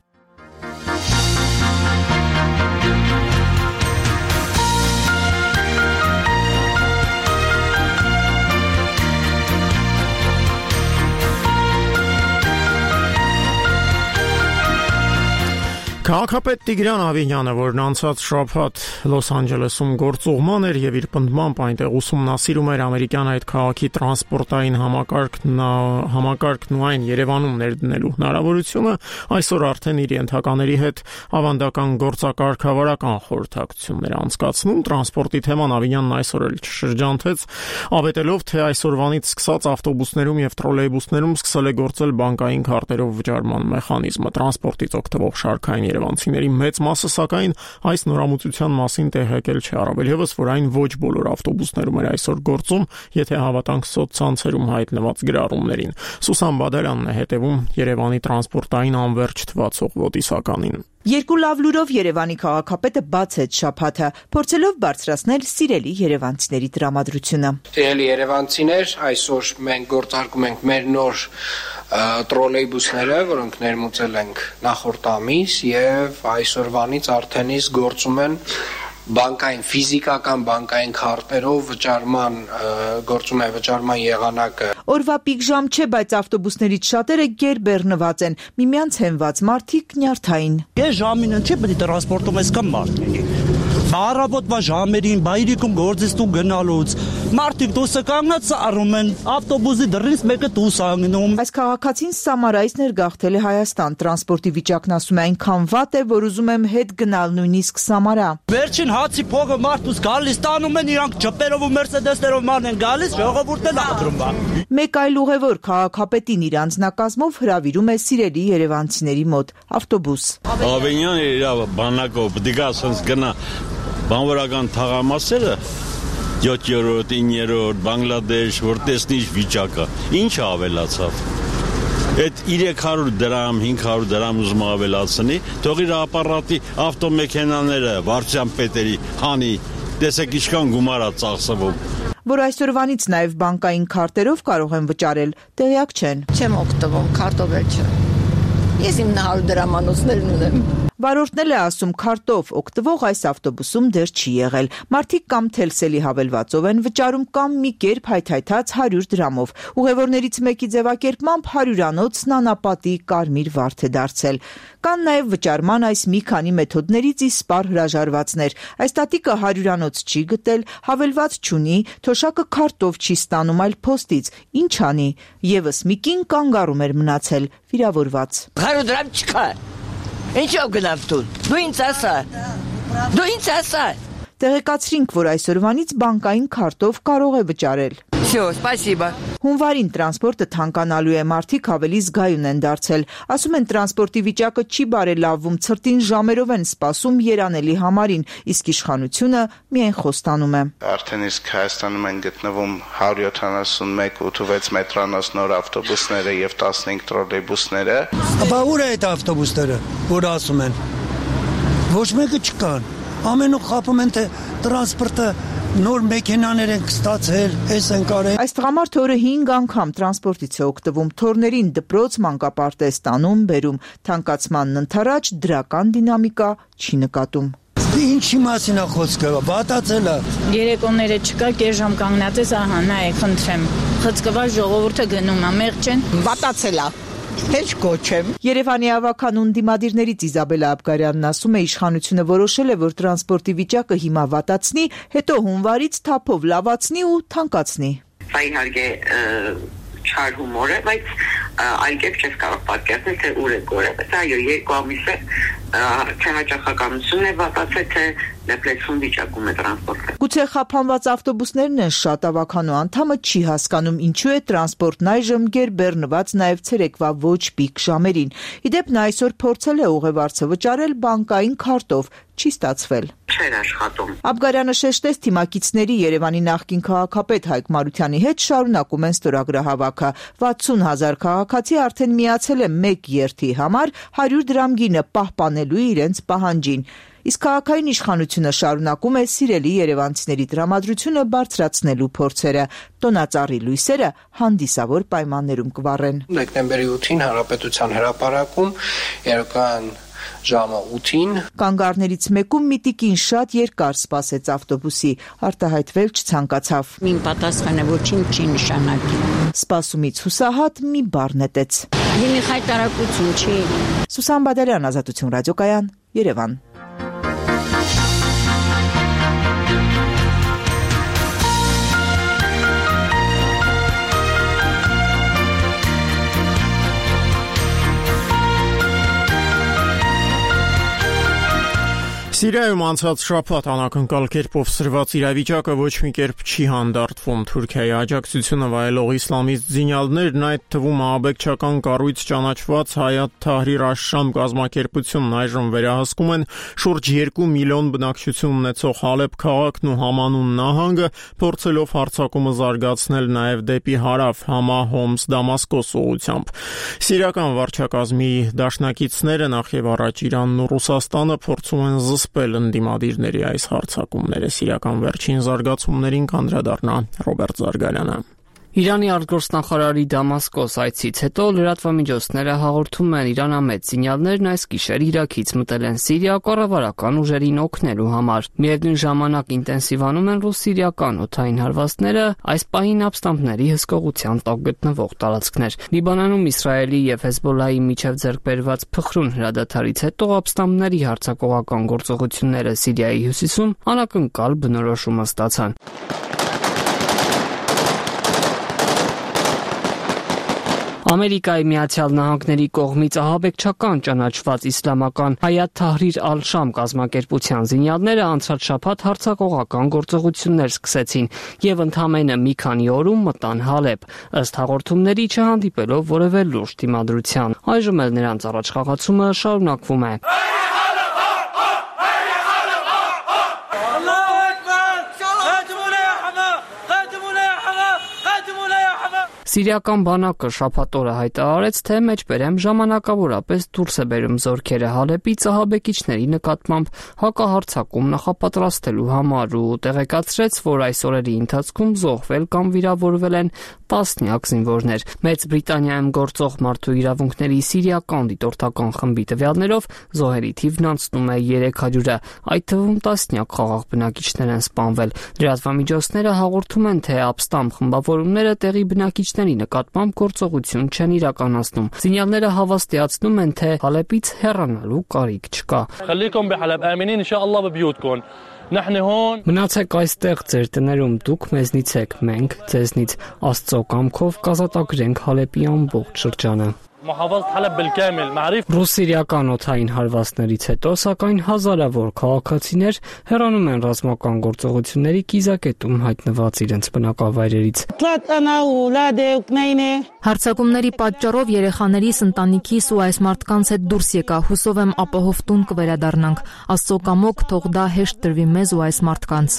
Քաղաքապետ Տիգրան Ավինյանը, որն անցած շաբաթ Լոս Անջելեսում գործուղման էր եւ իր պնդմամբ այնտեղ ուսումնասիրում էր ամերիկյան այդ քաղաքի տրանսպորտային համակարգն ու այն Երևանում ներդնելու հնարավորությունը, այսօր արդեն իր ենթակաների հետ ավանդական գործակարգավարական խորհրդակցություններ անցկացնում։ Տրանսպորտի թեման Ավինյանն այսօր էլ շրջանցեց, ավետելով, թե այսօրվանից սկսած ավտոբուսներում եւ տրոլեյբուսներում սկսել է գործել բանկային քարտերով վճարման մեխանիզմը։ Տրանսպորտից օգտվող շարքային Երևանցիների մեծ մասը սակայն այս նորամուծության մասին տեղեկել չէ, առավել եւս որ այն ոչ բոլոր ավտոբուսներում էր այսօր գործում, եթե հավատանք սոցցանցերում հայտնված գրառումներին։ Սուսան Բադալյանն է հետևում Երևանի տրանսպորտային անվերջ թվացող ոտիսականին։ Երկու լավ լուրով Երևանի քաղաքապետը բացեց շաբաթը, փորձելով բարձրացնել սիրելի երևանցիների տրամադրությունը։ Սիրելի երևանցիներ, այսօր մենք գործարկում ենք մեր նոր տրոլեյբուսները, որոնք ներմուծել ենք նախորդ ամիս եւ այսօրվանից արդեն իսկ գործում են բանկային ֆիզիկական բանկային քարտերով գործում է վճարման եղանակը։ Օրվա պիկ ժամ չէ, բայց ավտոբուսներից շատերը գերբեռնված են, միմյանց հենված մարդիկ նյարդային։ Ես ժամին չէ, պետք է տրանսպորտում ես կամ մարդիկ։ Առավոտվա ժամերին բայրիկում գործից դու գնալուց մարդիկ դուսը կանգնած առում են ավտոբուսի դռնից մեկը դուս անգնում։ Այս քաղաքացին Սամարայից ներգաղթել է Հայաստան, տրանսպորտի վիճակն ասում է այնքան վատ է, որ ուզում եմ հետ գնալ նույնիսկ Սամարա։ Վերջին հացի փողը մարդուց գալիս տանում են իրանք ջպերով ու մերսեդեսներով ման են գալիս, ժողովուրդն ադրում բա։ Մեկ այլ ուղևոր քաղաքապետին իր անձնակազմով հրավիրում է սիրելի երևանցիների մոտ ավտոբուս։ Ավենյանը իր բանակով դիգա ասած գնա բանվորական թաղամասերը 7-րդ, 9-րդ, Բանգլադեշ, որ տեսնի վիճակը, ինչ ավելացավ։ Այդ 300 դրամ, 500 դրամ ուզում ավելացնի, թող իր ապարատի ավտոմեքենաները վարչության պետերի հանի, տեսեք ինչքան գումար է ծախսվում։ Որ այսօրվանից նաև բանկային քարտերով կարող են վճարել, տեղյակ չեն։ Չեմ օգտվում, քարտով չէ։ Ես իմ 900 դրամանոցներն ունեմ։ Վարորդն է ասում քարտով օգտվող այս ավտոբուսում դեռ չի եղել։ Մարդիկ կամ թելսելի հավելվածով են վճարում կամ մի կերպ հայթայթած 100 դրամով։ Ուղևորներից մեկի ձևակերպմամբ 100-անոց նանապատի կարմիր վարդ է դարձել։ Կան նաև վճարման այս մի քանի մեթոդներից իսպար հրաժարվածներ։ Այս տատիկը 100-անոց չի գտել, հավելված չունի, թոշակը քարտով չի ստանում, այլ փոստից։ Ինչ անի։ Եվս մի կին կանգառում էր մնացել, վիրավորված։ 100 դրամ չկա։ Ինչով գնաց դու ինձ ասա։ Տեղեկացրինք, որ այսօրվանից բանկային քարտով կարող է վճարել։ Всё, спасибо։ Հունվարին տրանսպորտը թանկանալու է, մարդիկ ավելի զգայուն են դարձել։ Ասում են տրանսպորտի վիճակը չի բարելավվում, ցրտին ժամերով են սպասում երանելի համարին, իսկ իշխանությունը միայն խոստանում է։ Արդեն իսկ Հայաստանում են գտնվում 171 86 մետրանոց նոր ավտոբուսները եւ 15 տրոլեյբուսները։ Բա ուր է այդ ավտոբուսները, որ ասում են։ Ոչ մեկը չկան։ Ամենուր խափում են թե տրանսպորտը նոր մեքենաներ են ստացել, էս են կարել։ Այս տղամարդը օրը 5 անգամ տրանսպորտից է օգտվում, թորներին դպրոց, մանկապարտեզ տանում, բերում, թանկացմանն ընթരാճ դրական դինամիկա չի նկատում։ Ինչի մասին է խոսքը, վատացել է։ Երեկոները չկա, կես ժամ կանգնած ես, ահա, նայեք, խնդրեմ։ Խցկված ժողովուրդը գնում է, մեղջ են, վատացել է։ Հեչ կոչեմ։ Երևանի ավականուն դիմադիրներից Իզաբելա Աբգարյանն ասում է, իշխանությունը որոշել է, որ տրանսպորտի վիճակը հիմա վատացնի, հետո հունվարից թափով լավացնի ու թանկացնի։ Սա իհարկե չար հումոր է, բայց այլ կերպ չես կարող պատկերացնել, թե ուր է գորը։ Բայց այո, 2 ամիս է թե հաճախականությունն է վատացել, թե դեպրեսիոն վիճակում է տրանսպորտը։ Գուցե խափանված ավտոբուսներն են շատ ավականու անդամը չի հասկանում ինչու է տրանսպորտն այժմ գերբեռնված նաև ցերեկվա ոչ պիկ ժամերին։ Իդեպ նա այսօր փորձել է ուղևորցը վճարել բանկային քարտով, չի ստացվել։ Չէր աշխատում։ Աբգարյանը շեշտեց թիմակիցների Երևանի նախկին քաղաքապետ Հայկ Մարությանի հետ շարունակում են ստորագրահավաքը։ 60,000 քաղաքացի արդեն միացել է մեկ երթի համար 100 դրամ գինը պահպանելու իրենց պահանջին։ Իսկ քաղաքային իշխանությունը շարունակում է սիրելի երևանցիների տրամադրությունը բարձրացնելու փորձերը։ Տոնածառի լույսերը հանդիսավոր պայմաններում կվառեն։ Դեկտեմբերի 8-ին Հանրապետության հրապարակում երեկոյան ժամը 8-ին կանգառներից մեկում մի տիկին շատ երկար սպասեց ավտոբուսի, արտահայտվել չցանկացավ։ Մին պատասխանը ոչինչ չի նշանակի։ Սպասումից հուսահատ մի բառ նետեց։ Դիմի խայտարակություն չի։ Սուսան Բադալյան, Ազատություն ռադիոկայան, Երևան։ Սիրիայում անցած շաբաթ անակնկալ կերպով սրված իրավիճակը ոչ մի կերպ չի հանդարտվում։ Թուրքիայի աջակցությունը վայելող իսլամիստ զինյալներն, այդ թվում ահաբեկչական կառույց ճանաչված Հայաթ Թահրիր Աշ-Շամ կազմակերպությունն այժմ վերահսկում են շուրջ 2 միլիոն բնակչություն ունեցող Հալեբ քաղաքն ու Համանուն նահանգը, փորձելով հարձակումը զարգացնել նաև դեպի հարավ Համա, Հոմս, Դամասկոս ուղղությամբ։ Սիրիական վարչակազմի դաշնակիցները նախ եւ առաջ Իրանն ու Ռուսաստանը փորձում են զսպել ընդդիմադիրների այս հարձակումները։ Սիրիական վերջին զարգացումներին կանդրադառնա Ռոբերտ Զարգարյանը։ Իրանի արտգործնախարարի Դամասկոս այցից հետո լրատվամիջոցները հաղորդում են իրանամետ զինյալներն այս գիշեր Իրաքից մտել են Սիրիա կառավարական ուժերին օգնելու համար։ Միևնույն ժամանակ ինտենսիվանում են ռուս-սիրիական օդային հարվածները, այս պահին ապստամբների հսկողության տակ գտնվող տարածքներ։ Լիբանանում Իսրայելի եւ Հեզբոլլահի միջև ձեռքբերված փխրուն հրադադարից հետո ապստամբների հարձակողական գործողությունները Սիրիայի հյուսիսում անակնկալ բնորոշումը ստացան։ Ամերիկայի Միացյալ Նահանգների կողմից ահաբեկչական ճանաչված իսլամական Հայաթ Թահրիր Ալ-Շամ կազմակերպության զինյալները անցած շաբաթ հարձակողական գործողություններ սկսեցին եւ ընդամենը մի քանի օրում մտան Հալեբ, ըստ հաղորդումների չհանդիպելով որևէ լուրջ դիմադրության։ Այժմ էլ նրանց առաջխաղացումը շարունակվում է։ Սիրիական բանակը շաբաթ օրը հայտարարեց, թե մեջբերեմ ժամանակավորապես դուրս է բերում զորքերը Հալեբից ահաբեկիչների նկատմամբ հակահարձակում նախապատրաստելու համար ու տեղեկացրեց, որ այս օրերի ընթացքում զոհվել կամ վիրավորվել են տասնյակ զինվորներ։ Մեծ Բրիտանիայում գործող մարդու իրավունքների սիրիական դիտորդական խմբի տվյալներով զոհերի թիվն անցնում է 300-ը, այդ թվում տասնյակ խաղաղ բնակիչներ են սպանվել։ Լրատվամիջոցները հաղորդում են, թե ապստամբ խմբավորումները տեղի բնակիչների նկատմամբ գործողություն չեն իրականացնում։ Զինյալները հավաստիացնում են, թե Հալեբից հեռանալու կարիք չկա։ Մնացեք այստեղ ձեր տներում, դուք մեզնից եք, մենք ձեզնից, Աստծո կամքով կազատագրենք Հալեբի ամբողջ շրջանը։ Ռուս-սիրիական օդային հարվածներից հետո, սակայն հազարավոր քաղաքացիներ հեռանում են ռազմական գործողությունների կիզակետում հայտնված իրենց բնակավայրերից։ Հարձակումների պատճառով երեխաներիս, ընտանիքիս ու այս մարդկանց հետ դուրս եկա, հուսով եմ ապահով տուն կվերադառնանք։ Աստծո կամոք թող դա հեշտ տրվի մեզ ու այս մարդկանց։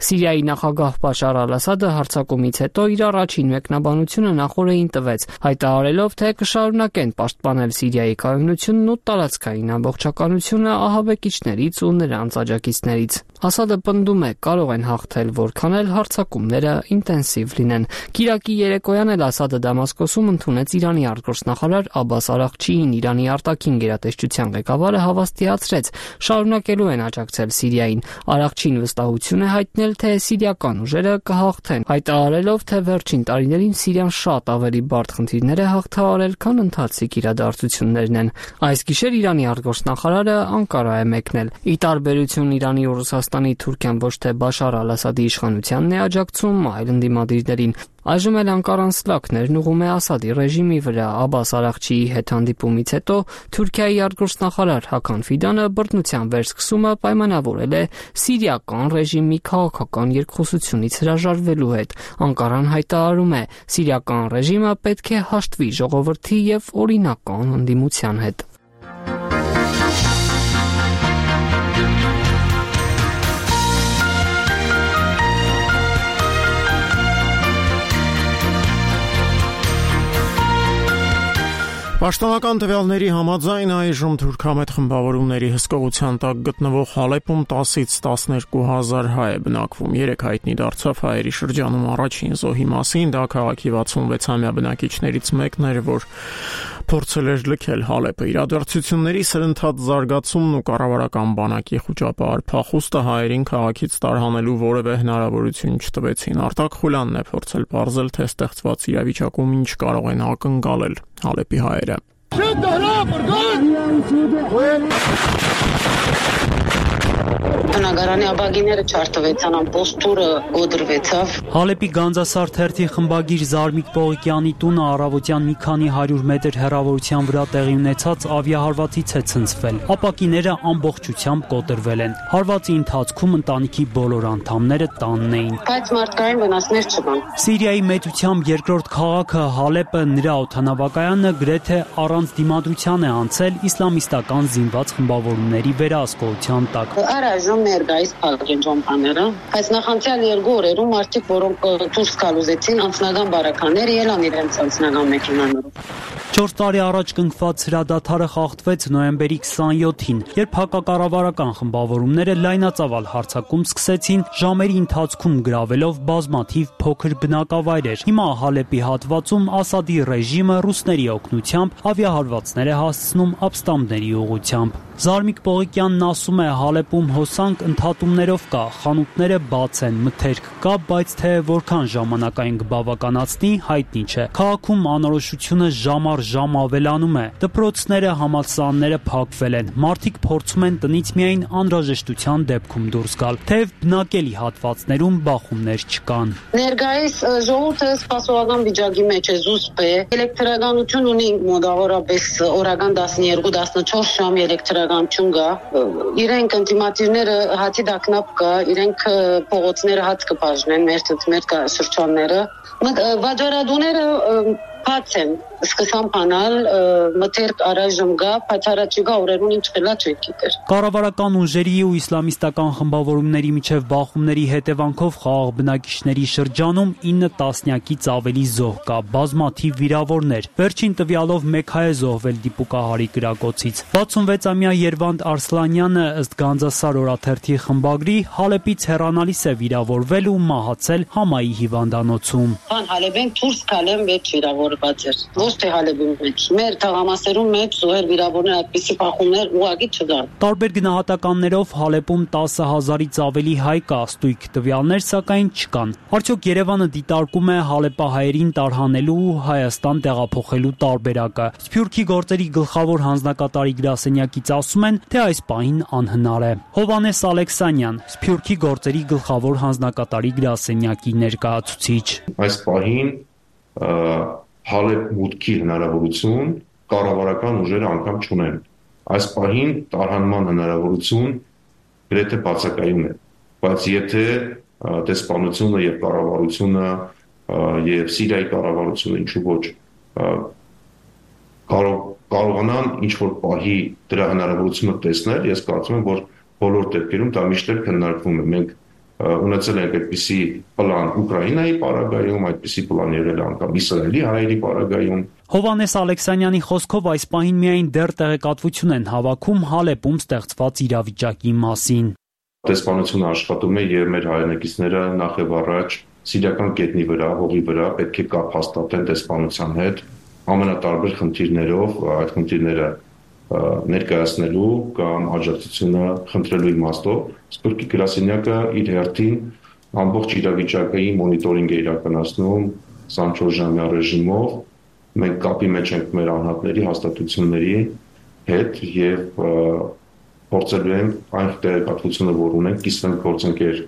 Սիրիայի նախագահ Բաշար Ալ-Ասադը հարձակումից հետո իր առաջին մեկնաբանությունը նախորդին տվեց, հայտարարելով, թե կշարունակեն պաշտպանել Սիրիայի կայունությունն ու տարածքային ամբողջականությունը ահաբեկիչներից ու նրանց աջակիցներից։ Ասադը պնդում է, կարող են հաղթել, որքան էլ հարձակումները ինտենսիվ լինեն։ Կիրակի երեկոյան էլ Ասադը Դամասկոսում ընդունեց Իրանի արտգործնախարար Աբբաս Արաղչիին։ Իրանի արտաքին գերատեսչության ղեկավարը հավաստիացրեց, շարունակելու են աջակցել Սիրիային։ Արաղչին վստահություն է հայտնել, թե սիրիական ուժերը կհաղթեն, հայտարարելով, թե վերջին տարիներին Սիրիան շատ ավելի բարդ խնդիրներ է հաղթահարել, քան ընթացիկ իրադարձություններն են։ Այս գիշեր Իրանի արտգործնախարարը Անկարա է մեկնել։ Ի տարբերություն Իրանի ու Ռուսաստանի, Թուրքիան ոչ թե Բաշար Ալ-Ասադի իշխանությանն է աջակցում, այլ ընդդիմադիրներին։ Այժմ էլ Անկարան սլաքներն ուղղում է Ասադի ռեժիմի վրա։ Աբբաս Արաղչիի հետ հանդիպումից հետո Թուրքիայի արտգործնախարար Հական Ֆիդանը բռնության վերսկսումը պայմանավորել է սիրիական ռեժիմի քաղաքական երկխոսությունից հրաժարվելու հետ։ Անկարան հայտարարում է, սիրիական ռեժիմը պետք է հաշտվի ժողովրդի եւ օրինական ընդդիմության հետ։ Պաշտոնական տվյալների համաձայն այժմ թուրքամետ խմբավորումների հսկողության տակ գտնվող Հալեբում 10-ից 12,000 հայ է բնակվում։ 3 հայտնի դարձավ հայերի շրջանում առաջին զոհի մասին, դա քաղաքի 66-ամյա բնակիչներից մեկն էր, որ փորձել էր լքել Հալեբը։ Իրադարձությունների սրընթաց զարգացումն ու կառավարական բանակի խոճապահար փախուստը հայերին քաղաքից տարհանելու որևէ հնարավորություն չտվեցին։ Արտակ Խուլյանն է փորձել պարզել, թե ստեղծված իրավիճակում ինչ կարող են ակնկալել Հալեբի հայերը։ բնակարանի ապագիները չարտվեցան, ամբողջ տուրը գոդրվեցավ։ Հալեպի Գանձասար թերթի խմբագիր Զարմիկ Պողիկյանի տունը առավոտյան մի քանի 100 մետր հեռավորության վրա տեղի ունեցած ավիահարվածից է ցնցվել։ Ապակիները ամբողջությամբ կոտրվել են։ Հարվածի ընթացքում ընտանիքի բոլոր անդամները տանն էին։ Բայց մարդկային վնասներ չկան։ Սիրիայի մեծությամբ երկրորդ քաղաքը Հալեպը նրա օդանավակայանը գրեթե առանց դիմադրության է անցել իսլամիստական զինված խմբավորումների վերահսկողության տակ։ Առայժմ ներկայիս փակենջոմպաները, բայց նախանցյալ 2 օրերում մարդիկ, որոնք դուրս գալուզեցին անձնական բարականներ, ելան իրենց անձնական մեքենաներով։ 4 տարի առաջ կնքված հրադադարը խախտվեց նոյեմբերի 27-ին, երբ հակակառավարական խմբավորումները լայնածավալ հարձակում սկսեցին, ժամերի ընթացքում գրավելով բազմաթիվ փոքր բնակավայրեր։ Հիմա Հալեպի հատվածում Ասադի ռեժիմը ռուսների օգնությամբ ավիահարվածներ է հասցնում ապստամբների ուղղությամբ։ Զարմիկ Պողիկյանն ասում է, Հալեպում հոսանք ընդհատումներով կա, խանութները բաց են, մթերք կա, բայց թե որքան ժամանակային կբավականացնի, հայտնի չէ։ Քաղաքում անորոշությունը ժամ առ ժամ ավելանում է։ Դպրոցները, համալսարանները փակվել են։ Մարդիկ փորձում են տնից միայն անհրաժեշտության դեպքում դուրս գալ, թեև բնակելի հատվածներում բախումներ չկան։ Ներկայիս ժողովուրդը սպասողական վիճակի մեջ է, զուսպ է։ Էլեկտրականություն ունի մոտավորապես օրական 12-14 ժամ էլեկտրականություն կա։ Իրենք ինտիմատիվները հացի դակնապ կա, իրենք փողոցները հաց կբաժնեն, մեր շրջանները։ Վաճառատուները բաց են, սկսան բանալ, մթերք առայժմ գա, բայց առաջիկա օրերուն ինչ խելա չեք գիտեր։ Կառավարական ուժերի ու իսլամիստական խմբավորումների միջև բախումների հետևանքով խաղաղ բնակիչների շրջանում 9 տասնյակից ավելի զոհ կա, բազմաթիվ վիրավորներ։ Վերջին տվյալով 1 հայ է զոհվել դիպուկահարի կրակոցից։ 66-ամյա Երվանդ Արսլանյանը ըստ Գանձասար օրաթերթի խմբագրի Հալեպից հեռանալիս է վիրավորվել ու մահացել Համայի հիվանդանոցում։ Հալեպեն դուրս գալեմ մեջ վիրավորված էր։ Ոչ թե Հալեպի մեջ, մեր թաղամասերում մեջ զոհեր վիրավորներ այդպիսի բախումներ ուղղակի չկան։ Տարբեր գնահատականներով Հալեպում 10,000-ից ավելի հայ կա, ստույգ տվյալներ սակայն չկան։ Արդյոք Երևանը դիտարկում է հալեպահայերին տարհանելու ու Հայաստան տեղափոխելու տարբերակը։ Սփյուռքի գործերի գլխավոր հանձնակատարի գրասենյակից ասում են, թե այս պահին անհնար է։ Հովհաննես Ալեքսանյան, Սփյուռքի գործերի գլխավոր հանձնակատարի գրասենյակի ներկայացուցիչ։ Այս պահին Հալեպ մուտքի հնարավորություն կառավարական ուժերը անգամ չունեն։ Այս պահին տարհանման հնարավորություն գրեթե բացակայում է, բայց եթե դեսպանությունը եւ կառավարությունը եւ Սիրիայի կառավարությունը ինչու ոչ կարողանան ինչ որ պահի դրա հնարավորությունը տեսնել, ես կարծում եմ, որ բոլոր դեպքերում դա միշտ քննարկվում է։ Մենք ունեցել ենք այդպիսի պլան Ուկրաինայի պարագայում, այդպիսի պլան եղել անգամ Իսրայելի հայերի պարագայում։ Հովհաննես Ալեքսանյանի խոսքով այս պահին միայն դեռ տեղեկատվություն են հավաքում Հալեպում ստեղծված իրավիճակի մասին։ Դեսպանությունը աշխատում է եւ մեր հայրենակիցները նախ եւ առաջ սիրիական գետնի վրա, հողի վրա պետք է կապ հաստատեն դեսպանության հետ ամենատարբեր խնդիրներով, այդ խնդիրները ներկայացնելու կամ աջակցությունը խնդրելու իմաստով։ Սփյուռքի գրասենյակը իր հերթին ամբողջ իրավիճակի մոնիտորինգ է իրականացնում 24 ժամյա ռեժիմով։ Մենք կապի մեջ ենք մեր անհատների հաստատությունների հետ եւ փորձելու ենք այն տեղեկատվությունը, որ ունենք, կիսվենք գործընկեր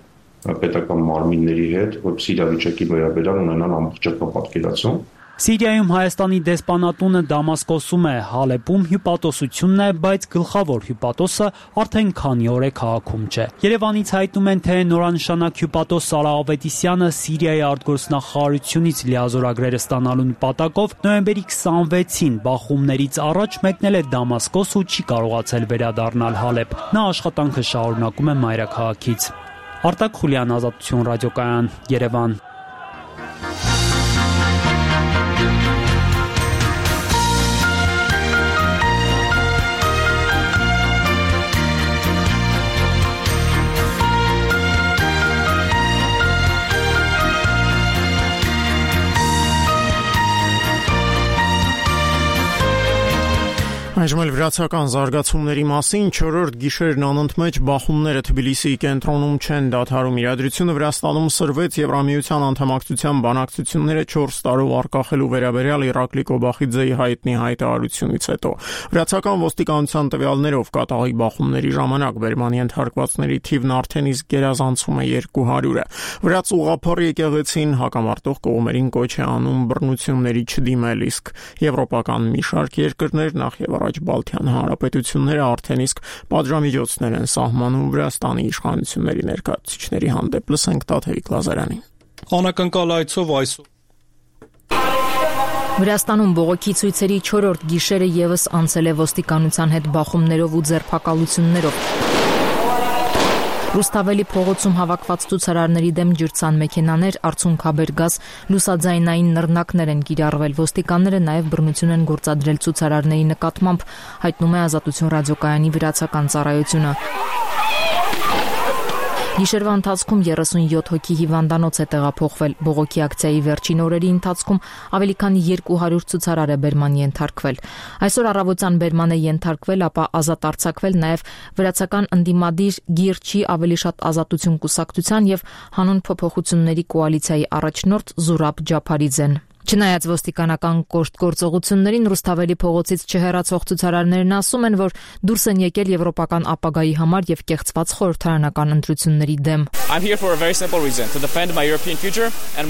պետական մարմինների հետ, որպեսզի իրավիճակի վերաբերյալ ունենան ամբողջական պատկերացում։ Սիրիայում Հայաստանի դեսպանատունը Դամասկոսում է, Հալեպում հյուպատոսությունն է, բայց գլխավոր հյուպատոսը արդեն քանի օր է քաղաքում չէ։ Երևանից հայտնում են, թե նորանշանակ հյուպատոս Սարա Ավետիսյանը Սիրիայի արտգործնախարարությունից լիազորագրերը ստանալու նպատակով նոյեմբերի 26-ին բախումներից առաջ մեկնել է Դամասկոս ու չի կարողացել վերադառնալ Հալեպ։ Նա աշխատանքը շարունակում է մայրաքաղաքից։ Արտակ Խուլյան, Ազատություն ռադիոկայան, Երևան։ Այժմ էլ վրացական զարգացումների մասին 4-րդ գիշերն անընդմեջ բախումները Թբիլիսիի կենտրոնում չեն դադարում։ Իրադրությունը Վրաստանում սրվեց Եվրամիության անդամակցության բանակցությունները 4 տարով արկախելու վերաբերյալ Իրակլի Կոբախիձեի հայտնի հայտարարությունից հետո։ Վրացական ոստիկանության տվյալներով կատաղի բախումների ժամանակ բերման ենթարկվածների թիվն արդեն իսկ գերազանցում է 200-ը։ Վրաց ուղղափառ եկեղեցին հակամարտող կողմերին կոչ է անում բռնությունների չդիմել, իսկ եվրոպական մի շարք երկրներ նախ եւ առաջ Բալթյան հանրապետությունները արդեն իսկ պատժամիջոցներ են սահմանում Վրաստանի իշխանությունների ներկայացուցիչների հանդեպ։ Լսենք Տաթևիկ Լազարյանին։ Անակնկալ այցով այսօր Վրաստանում բողոքի ցույցերի 4-րդ գիշերը եւս անցել է ոստիկանության հետ բախումներով ու ձերբակալություններով։ Ռուստավելի փողոցում հավաքված ցուցարարների դեմ ջրցան մեքենաներ, արցունքաբեր գազ, լուսաձայնային նռնակներ են կիրառվել։ Ոստիկանները նաև բռնություն են գործադրել ցուցարարների նկատմամբ, հայտնում է Ազատություն ռադիոկայանի վրացական ծառայությունը։ Գիշերվա ընթացքում 37 հոգի հիվանդանոց է տեղափոխվել։ Բողոքի ակցիայի վերջին օրերի ընթացքում ավելի քան 200 ցուցարար է բերման ենթարկվել։ Այսօր առավոտյան բերման է ենթարկվել, ապա ազատ արձակվել նաև վրացական ընդդիմադիր Գիրչի ավելի շատ ազատություն կուսակցության եւ հանուն փոփոխությունների կոալիցիայի առաջնորդ Զուրաբ Ջափարիձեն։ Չնայած ոստիկանական կոշտ գործողություններին Ռուստավելի փողոցից չհեռացող ցուցարարներն ասում են, որ դուրս են եկել եվրոպական ապագայի համար եւ կեղծված խորհրդարանական ընտրությունների դեմ։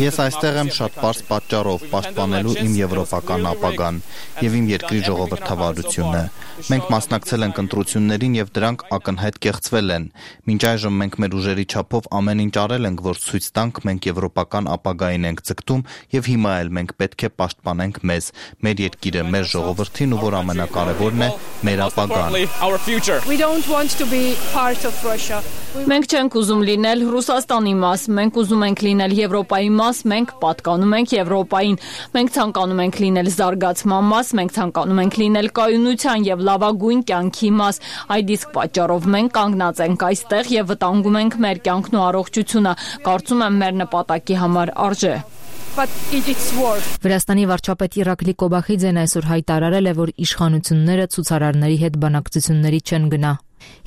Ես այստեղ եմ շատ պարզ պատճառով պաշտպանելու իմ եվրոպական ապագան եւ իմ երկրի ժողովրդավարությունը։ Մենք մասնակցել ենք ընտրություններին եւ դրանք ակնհայտ կեղծվել են։ Մինչ այժմ մենք մեր ուժերի չափով ամեն ինչ արել ենք, որ ցույց տանք մենք եվրոպական ապագային ենք ձգտում եւ հիմա էլ մենք պետք է պաշտպանենք մեզ, մեր երկիրը, մեր ժողովրդին ու որ ամենակարևորն է, մեր ապագան։ Մենք չենք ուզում լինել Ռուսաստանի մաս, մենք ուզում ենք լինել Եվրոպայի մաս, մենք պատկանում ենք Եվրոպային, մենք ցանկանում ենք լինել զարգացման մաս, մենք ցանկանում ենք լինել կայունության եւ լավագույն կյանքի մաս։ Այդ իսկ պատճառով մենք կանգնած ենք այստեղ եւ վտանգում ենք մեր կյանքն ու առողջությունը։ Կարծում եմ մեր նպատակի համար արժե։ Վրաստանի վարչապետ Իրակլի Կոբախիձեն այսօր հայտարարել է, որ իշխանությունները ցուցարարների հետ բանակցությունների չեն գնա։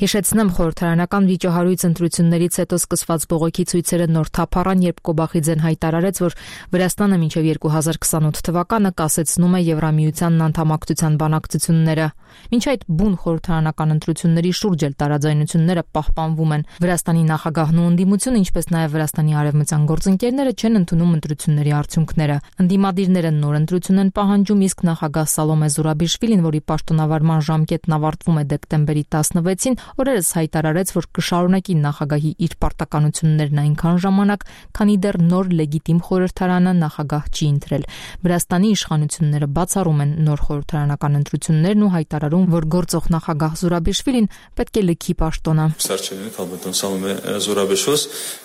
Հիշեցնեմ, խորհրդարանական վիճահարույց ընտրություններից հետո սկսված բողոքի ցույցերը նոր թափ առան, երբ Կոբախիձեն հայտարարեց, որ Վրաստանը մինչև 2028 թվականը կասեցնում է Եվրամիությանն անդամակցության բանակցությունները։ Մինչ այդ բուն խորհրդարանական ընտրությունների շուրջ էլ տարաձայնությունները պահպանվում են։ Վրաստանի նախագահն ու ընդդիմությունը, ինչպես նաև Վրաստանի արևմտյան գործընկերները չեն ընդունում ընտրությունների արդյունքները։ Ընդդիմադիրները նոր ընտրություն են պահանջում, իսկ նախագահ Սալոմե Զուրաբիշվիլին, որի պաշտոնավարման ժամկետն ավարտվում է դեկտեմբերի 16-ին, օրերս հայտարարեց, որ կշարունակի նախագահի իր պարտականություններն այնքան ժամանակ, քանի դեռ նոր լեգիտիմ խորհրդարանը նախագահ չի ընտրել։ Վրաստանի իշխանությունները բացառում են նոր խորհրդարանական ընտրություններն ու հայտարարում, որ գործող նախագահ Զուրաբիշվիլին պետք է լքի պաշտոնը։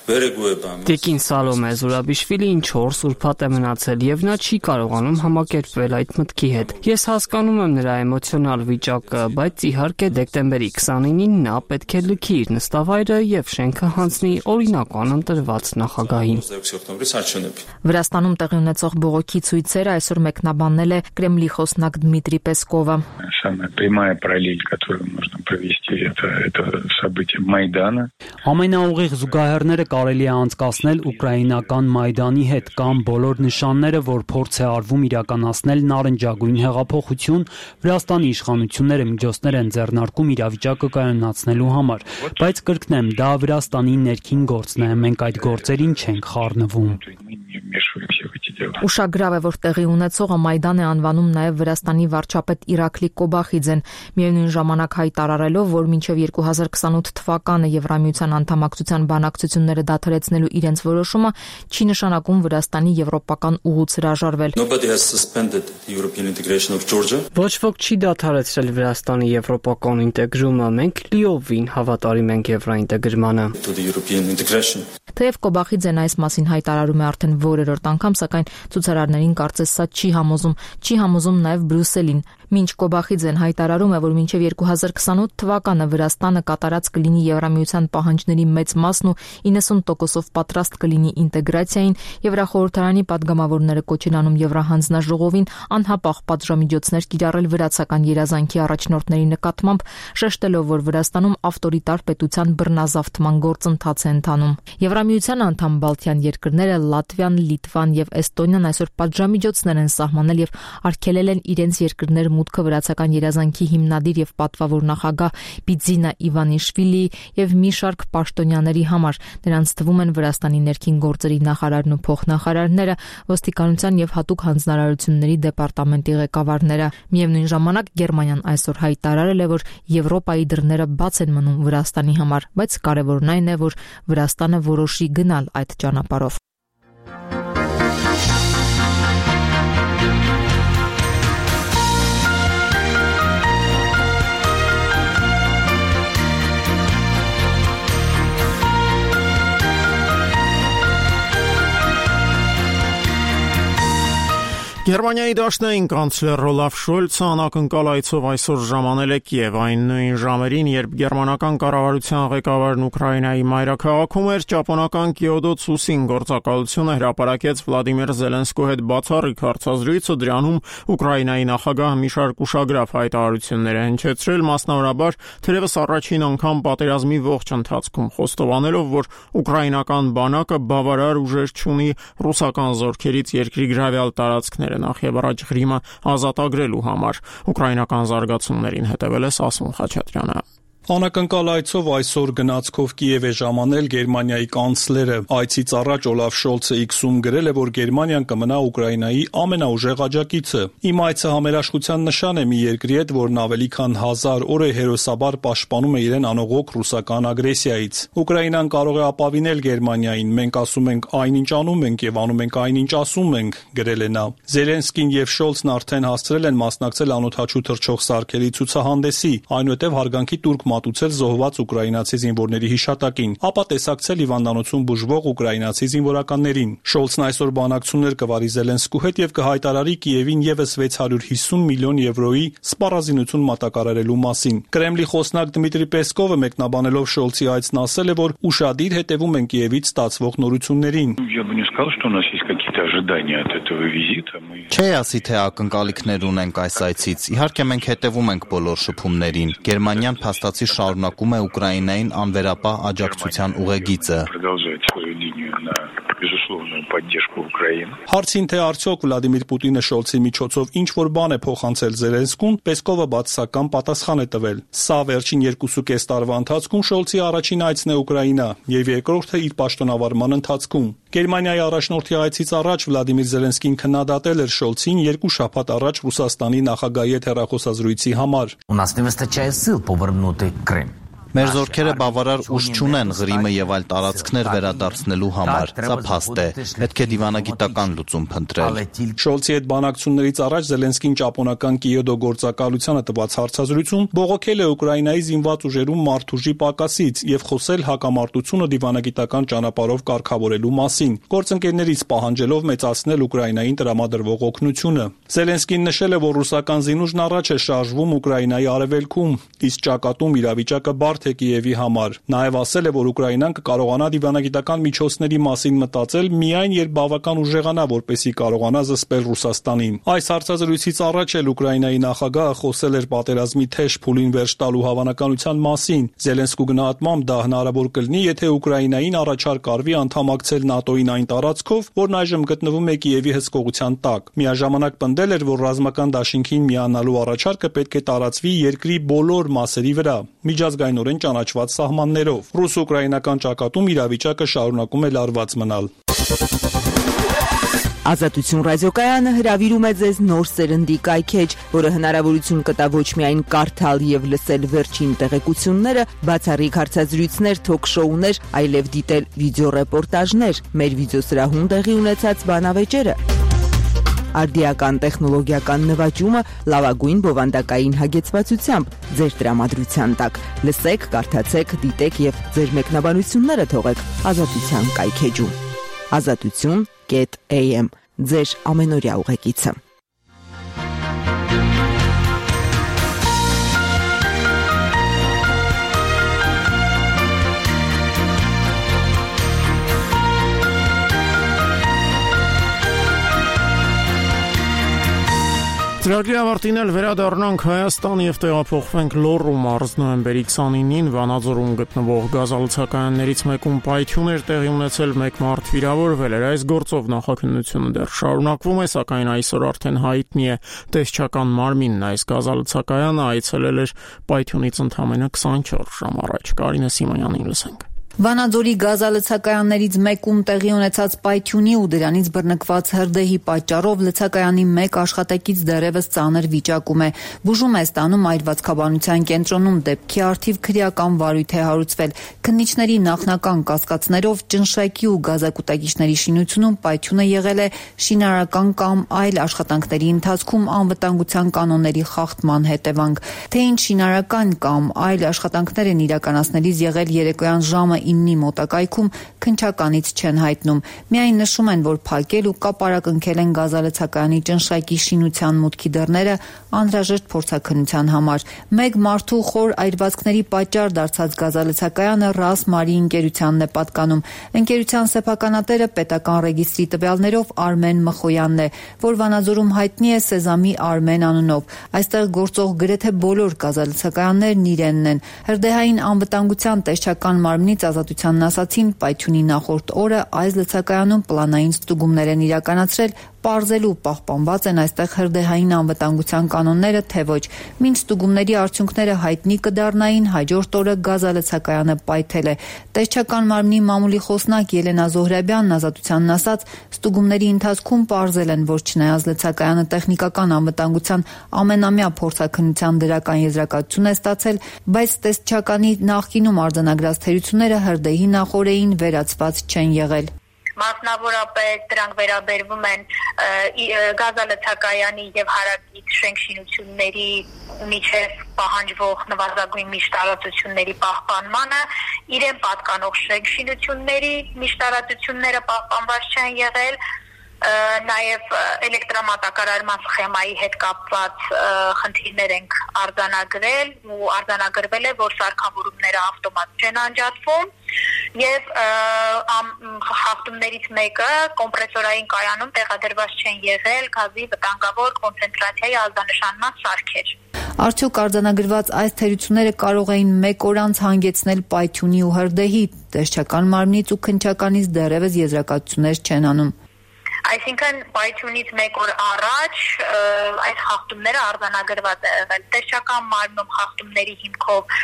Տիկին Սալոմե Զուրաբիշվիլին 4 ուրբաթ է մնացել եւ նա չի կարողանում համակերպվել այդ մտքի հետ։ Ես հասկանում եմ նրա էմոցիոնալ վիճակը, բայց իհարկե դեկտեմբերի 29-ին նա պետք է լքի իր նստավայրը եւ շենքը հանձնի օրինական ընտրված նախագահին։ Վրաստանում տեղի ունեցող բողոքի ցույցերը այսօր մեկնաբանել է Կրեմլի խոսնակ Դմիտրի Պեսկովը։ Ամենաուղիղ զուգահեռները կարելի է անցկացնել ուկրաինական Մայդանի հետ կամ բոլոր նշանները, որ փորձ է արվում իրականացնել նարնջագույն հեղափոխություն, Վրաստանի իշխանությունները միջոցներ են ձեռնարկում իրավիճակը կայունացնելու համար, բայց կրկնեմ, դա Վրաստանի ներքին գործն է, մենք այդ գործերին չենք խառնվում։ Ուշագրավ է, որ տեղի ունեցողը Մայդան է անվանում նաև Վրաստանի վարչապետ Իրակլի Կոբախիձեն, միևնույն ժամանակ հայտարարելով, որ մինչև 2028 թվականը Եվրամիության անդամակցության բանակցությունները դադարեցնելու իրենց որոշումը չի նշանակում Վրաստանի եվրոպական ուղուց հրաժարվել։ Ոչ ոք չի դադարեցրել Վրաստանի եվրոպական ինտեգրումը, մենք լիովին հավատարիմ ենք եվրոինտեգրմանը։ Թեև Կոբախիձեն այս մասին հայտարարում է արդեն որերորդ անգամ, սակայն ցուցարարներին կարծես սա չի համոզում նաև Բրյուսելին։ Մինչ Կոբախիձեն հայտարարում է, որ մինչև 2028 թվականը Վրաստանը կատարած կլինի Եվրամիության պահանջների մեծ մասն ու 90%-ով պատրաստ կլինի ինտեգրացիային, Եվրախորհրդարանի падգամավորները կոչ են անում Եվրահանձնաժողովին անհապաղ պատժամիջոցներ կիրառել վրացական երազանքի առաջնորդների նկատմամբ, շեշտելով, որ Վրաստանում ավտորիտար պետության բռնազավթման գործընթաց է ընթանում։ Եվրամիության անդամ Բալթյան երկրները Լատվիան, Լիտվան եւ Էստոնիան այսօր պատժամիջոցներ են սահմանել եւ արգելել են իրենց երկրներ մուտքը վրացական երազանքի հիմնադիր եւ պատվավոր նախագահ Բիձինա Իվանիշվիլի եւ մի շարք պաշտոնյաների համար։ Նրանց թվում են Վրաստանի ներքին գործերի նախարարն ու փոխնախարարները, ոստիկանության եւ հատուկ հանձնարարությունների դեպարտամենտի ղեկավարները։ Միևնույն ժամանակ Գերմանիան այսօր հայտարարել է, որ Եվրոպայի դռները բաց են մնում Վրաստանի համար, բայց կարևորն այն է, որ Վրաստանը որոշի գնալ այդ ճանապարհով։ Գերմանիայի դաշնային կանցլեր Օլաֆ Շոլցը անակնկալ այցով այսօր ժամանել է Կիև, այն նույն ժամերին, երբ գերմանական կառավարության ղեկավարն Ուկրաինայի մայրաքաղաքում էր, ճապոնական Կիոտո Ցուսին գործակալությունը հրապարակեց Վլադիմիր Զելենսկու հետ բացառիկ հարցազրույցը, դրանում Ուկրաինայի նախագահը մի շարք ուշագրավ հայտարարություններ է հնչեցրել, մասնավորաբար թերևս առաջին անգամ պատերազմի ողջ ընթացքում, խոստովանելով, որ ուկրաինական բանակը բավարար ուժեր չունի ռուսական զորքերից երկրի գրավյալ տարածքները նախ եւ առաջ Ղրիմը ազատագրելու համար։ Ուկրաինական զարգացումներին հետևել է Սասուն Խաչատրյանը։ Անակնկալ այցով այսօր գնացքով Կիև է ժամանել Գերմանիայի կանցլերը։ Այցից առաջ Օլաֆ Շոլցը X-ում գրել է, որ Գերմանիան կմնա Ուկրաինայի ամենաուժեղ աջակիցը։ Իմ այցը համերաշխության նշան է մի երկրի հետ, որն ավելի քան 1000 օր է հերոսաբար պաշտպանում է իրեն անողոք ռուսական ագրեսիայից։ Ուկրաինան կարող է ապավինել Գերմանիային, մենք ասում ենք այնինչ անում ենք եւ անում ենք այնինչ ասում ենք, գրել է նա։ Զելենսկին եւ Շոլցն արդեն հասցրել են մասնակցել անօդաչու թռչող սարքերի ցուցահանդեսի, այնուհետև հարգանքի տուրք մատուցել զոհված ուկրաինացի զինվորների հիշատակին, ապա տեսակցել հիվանդանոցում բուժվող ուկրաինացի զինվորականներին։ Շոլցն այսօր բանակցություններ կվարի Զելենսկու հետ եւ կհայտարարի Կիևին եւս 650 միլիոն եվրոյի սպառազինություն մատակարարելու մասին։ Կրեմլի խոսնակ Դմիտրի Պեսկովը մեկնաբանելով Շոլցի այցն ասել է, որ ուշադիր հետևում են Կիևից ստացվող նորություններին։ Չէ, ասի թե ակնկալիքներ ունենք այս այցից։ Իհարկե մենք հետևում ենք բոլոր շփումներին։ Գերմանիան փաստացի շարունակում է Ուկրաինային անվերապահ աջակցության ուղեգիծը։ Հարցին թե արդյոք Վլադիմիր Պուտինը Շոլցի միջոցով ինչ-որ բան է փոխանցել Զելենսկուն, Պեսկովը բացասական պատասխան է տվել։ Սա վերջին 2.5 տարվա ընթացքում Շոլցի առաջին այցն է Ուկրաինա եւ երկրորդը իր պաշտոնավարման ընթացքում։ Գերմանիայի առաջնորդի այցից առաջ Վլադիմիր Զելենսկին քննադատել էր Շոլցին 2 շաբաթ առաջ Ռուսաստանի նախագահի հետ հեռախոսազրույցի համար։ Մեր զորքերը բավարար ուժ չունեն Ղրիմը եւ այլ տարածքներ վերադարձնելու համար։ Սա փաստ է։ Պետք է դիվանագիտական լուծում փնտրել։ Շոլցի հետ բանակցություններից առաջ Զելենսկին ճապոնական Կիոտո գործակալությանը տված հարցազրույցում բողոքել է Ուկրաինայի զինված ուժերում մարդուժի պակասից եւ խոսել հակամարտությունը դիվանագիտական ճանապարհով կարգավորելու մասին, գործընկերներից պահանջելով մեծացնել Ուկրաինային տրամադրվող օգնությունը։ Զելենսկին նշել է, որ ռուսական զինուժն առաջ է շարժվում Ուկրաինայի արևելքում, իսկ ճակատում իրավիճակը բարդ է Կիևի համար։ Նաև ասել է, որ Ուկրաինան կկարողանա դիվանագիտական միջոցների մասին մտածել միայն երբ բավական ուժեղանա, որպեսզի կարողանա զսպել Ռուսաստանին։ Այս հարցազրույցից առաջ էլ Ուկրաինայի նախագահը խոսել էր պատերազմի թեժ փուլին վերջ տալու հավանականության մասին։ Զելենսկու գնահատմամբ դա հնարավոր կլինի, եթե Ուկրաինային առաջարկ արվի անդամակցել ՆԱՏՕ-ին այն տարածքով, որն այժմ գտնվում է Կիևի հսկողության տակ։ Միաժամանակ պնդել էր, որ ռազմական դաշինքին միանալու առաջարկը պետք է տարածվի երկրի բոլոր մասերի վրա, միջազգայինորեն ճանաչված սահմաններով։ Ռուս-ուկրաինական ճակատում իրավիճակը շարունակում է լարված մնալ։ Ազատություն ռադիոկայանը հրավիրում է ձեզ նոր սերնդի կայքեջ, որը հնարավորություն կտա ոչ միայն կարդալ եւ լսել վերջին տեղեկությունները, բացառիկ հարցազրույցներ, թոք-շոուներ, այլև դիտել վիդեոռեպորտաժներ, մեր վիդեոսրահում տեղի ունեցած բանավեճերը, արդիական տեխնոլոգիական նվաճումը լավագույն բովանդակային հագեցվածությամբ ձեր տրամադրության տակ։ Լսեք, կարդացեք, դիտեք եւ ձեր մեկնաբանությունները թողեք Ազատության կայքեջում։ Azatutun.am ձեր ամենօրյա ուղեկիցը։ Ծրագրի ավարտին էլ վերադառնանք Հայաստան եւ տեղափոխվենք Լոռու մարզ նոյեմբերի 29-ին Վանաձորում գտնվող գազալցակայաններից մեկում պայթյուն էր տեղի ունեցել, մեկ մարդ վիրավորվել էր։ Այս գործով նախաքննությունը դեռ շարունակվում է, սակայն այսօր արդեն հայտնի է տեսչական մարմինն այս գազալցակայանը այցելել էր պայթյունից ընդամենը 24 ժամ առաջ։ Կարինե Սիմոնյանին լսենք։ Վանաձորի գազալցակայաններից մեկում տեղի ունեցած պայթյունի ու դրանից բռնկված հրդեհի պատճառով լցակայանի մեկ աշխատակից դեռևս ծանր վիճակում է։ Բուժում է ստանում այրվածքաբանության կենտրոնում, դեպքի առթիվ քրեական վարույթ է հարուցվել։ Քննիչների նախնական կասկածներով ճնշակի ու գազակուտակիչների շինությունում պայթյունը եղել է շինարարական կամ այլ աշխատանքների ընթացքում անվտանգության կանոնների խախտման հետևանք։ Թե ինչ շինարարական կամ այլ աշխատանքներ են իրականացնելիս եղել երեկոյան ժամը 9-ի մոտակայքում քննչականից չեն հայտնում։ Միայն նշում են, որ փակել ու կապարակնքել են գազալցակայանի ճնշակի շինության մուտքի դռները անհրաժեշտ փորձաքննության համար։ Մեկ մարդու խոր այրվածքների պատճառ դարձած գազալցակայանը ՌԱՍ Մարի ընկերությանն է պատկանում։ Ընկերության սեփականատերը պետական ռեգիստրի տվյալներով Արմեն Մխոյանն է, որ Վանաձորում հայտնի է Սեզամի Արմեն անունով։ Այստեղ գործող գրեթե բոլոր գազալցակայաններն իրենն են։ Հրդեհային անվտանգության տեսչական մարմնից ազատությանն ասացին, պայթյունի նախորդ օրը այս լցակայանում պլանային ստուգումներ են իրականացրել, պարզելու պահպանված են այստեղ հրդեհային անվտանգության կանոնները, թե ոչ։ Մինչ ստուգումների արդյունքները հայտնի կդառնային, հաջորդ օրը գազալցակայանը պայթել է։ Տեսչական մարմնի մամուլի խոսնակ Ելենա Զոհրաբյանն ազատությանն ասաց, ստուգումների ընթացքում պարզել են, որ չնայած լցակայանը տեխնիկական անվտանգության ամենամյա փորձաքննության դրական եզրակացություն է ստացել, բայց տեսչականի նախկինում արձանագրած թերությունները հրդեհի նախօրեին վերացված չեն եղել։ Մասնավորապես դրանք վերաբերվում են գազալցակայանի եւ հարակից շենքշինությունների միջև պահանջվող նվազագույն միշտարածությունների պահպանմանը, իրեն պատկանող շենքշինությունների միշտարածությունները պահպանված չեն եղել, նաև էլեկտրամատակարարման սխեմայի հետ կապված խնդիրներ ենք արձանագրել ու արձանագրվել է, որ սարքավորումները ավտոմատ չեն անջատվում եւ խախտումներից մեկը կոմպրեսորային կայանում տեղադրված չեն եղել գազի վտանգավոր կոնցենտրացիայի ազդանշանման սարքեր։ Արդյոք արձանագրված այս թերությունները կարող էին մեկ օր անց հանգեցնել պայթյունի ու հրդեհի, տեսչական մարմնից ու քննչականից դեռևս եզրակացություններ չեն անում։ Այսինքն պայթյունից մեկ օր առաջ այս խախտումները արձանագրված է եղել։ Տեսչական մարմնում խախտումների հիմքով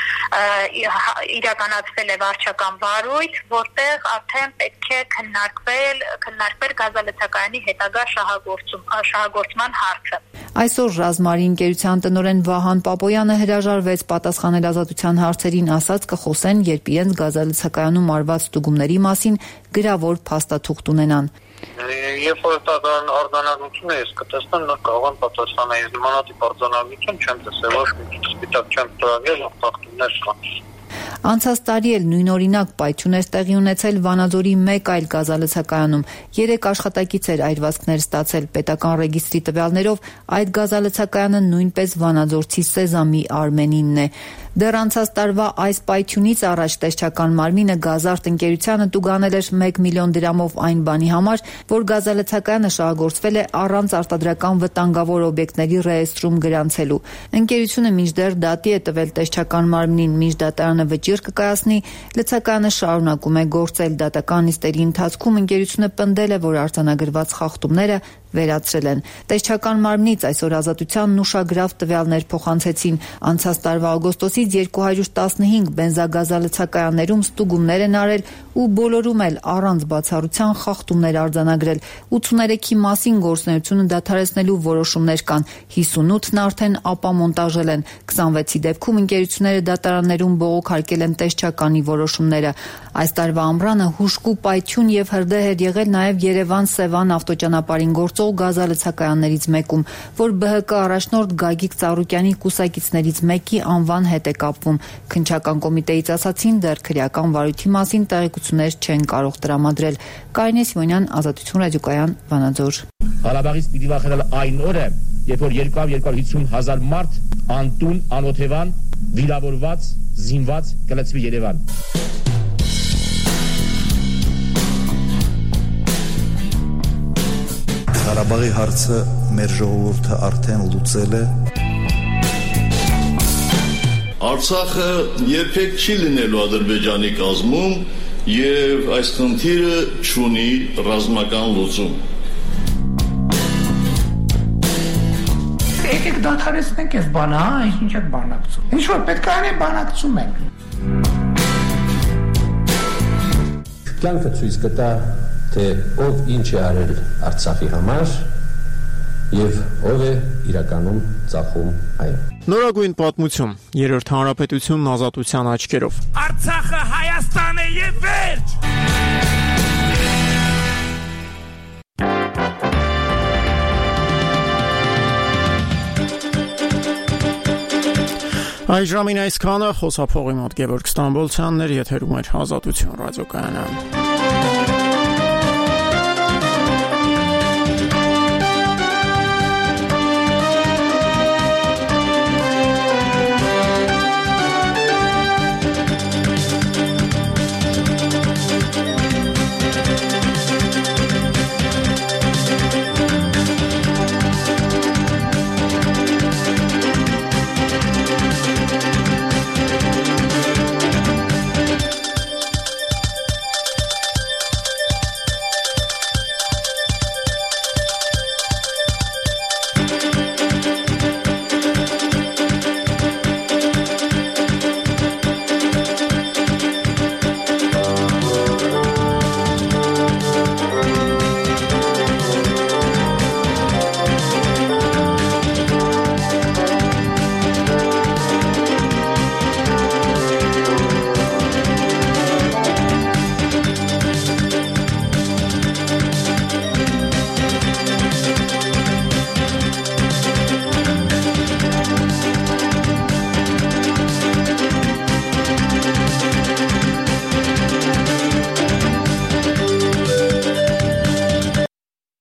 իրականացվել է վարչական վարույթ, որտեղ արդեն պետք է քննարկվել գազալցակայանի հետագա շահագործման հարցը։ Այսօր Ռազմարի ընկերության տնօրեն Վահան Պապոյանը հրաժարվեց պատասխանել ազատության հարցերին, ասաց կխոսեն, երբ իրենց գազալցակայանում արված ստուգումների մասին գրավոր փաստաթուղթ ունենան։ Երբ որ տան արձանագրությունը ես կտեսնեմ, նա կարող եմ պատասխանել։ Ես նմանատիպ արձանագրություն չեմ տեսել, ոչ մի սպիտակ չեմ ծրագրել, խախտումներ կան։ Անցած տարի էլ նույնօրինակ պայթյուն էր տեղի ունեցել Վանաձորի մեկ այլ գազալցակայանում։ 3 աշխատակից էր այրվածքներ ստացել։ Պետական ռեգիստրի տվյալներով այդ գազալցակայանը նույնպես վանաձորցի Սեզամի Արմենինն է։ Դեռ անցած տարվա այս պայթյունից առաջ տեսչական մարմինը Գազարտ ընկերությանը տուգանել էր 1 միլիոն դրամով այն բանի համար, որ գազալցակայանը շահագործվել է առանց արտադրական վտանգավոր օբյեկտների ռեեստրում գրանցելու։ Ընկերությունը մինչդեռ դատի է տվել տեսչական մարմնին, մինչ դատարանը վճիռ կկայացնի, լցակայանը շարունակում է գործել։ Դատական նիստերի ընթացքում ընկերությունը պնդել է, որ արձանագրված խախտումները վերացրել են։ Տեսչական մարմնից այսօր ազատությանն ուշագրավ տվյալներ փոխանցեցին։ Անցած տարվա օգոստոսից 215 բենզագազալցակայաններում ստուգումներ են արել ու բոլորում էլ առանց բացառության խախտումներ արձանագրել։ 83-ի մասին գործունեությունը դադարեցնելու որոշումներ կան, 58-ն արդեն ապամոնտաժել են։ 26-ի դեպքում ընկերությունները դատարաններում բողոքարկել են տեսչականի որոշումները։ Այս տարվա ամռանը հուժկու պայթյուն եւ հրդեհ էր եղել նաեւ Երևան-Սևան ավտոճանապարհին գործող գազալցակայաններից մեկում, որ ԲՀԿ առաջնորդ Գագիկ Ծառուկյանի կուսակիցներից մեկի անվան հետ է կապվում։ Քննչական կոմիտեից ասացին, դեռ քրեական վարույթի մասին տեղեկություններ չեն կարող տրամադրել։ Կարինե Սիմոնյան, Ազատություն ռադիոկայան, Վանաձոր։ Ղարաբաղից պիտի վախենալ այն օրը, երբ որ 250,000 մարդ անտուն, անօթևան, վիրավորված, զինված կլցվի Երևան։ Ղարաբաղի հարցը մեր ժողովուրդը արդեն լուծել է։ Արցախը երբեք չի լինելու Ադրբեջանի կազմում եւ այս խնդիրը չունի ռազմական լուծում։ Եկեք դադարեցնենք այս բանը, ինչ եք բանակցում։ Ինչ որ պետք է անենք, բանակցում ենք։ Կյանքը ցույց կտա, թե ով ինչ է արել Արցախի համար եւ ով է իրականում ծախում այն։ Նորագույն պատմություն, Երրորդ հանրապետությունն ազատության աչքերով։ Արցախը Հայաստան է եւ վերջ։ Այժմին այսքանը, խոսափողի մոտ Գևորգ Ստամբոլցյանն էր, եթերում էր Ազատություն ռադիոկայանը։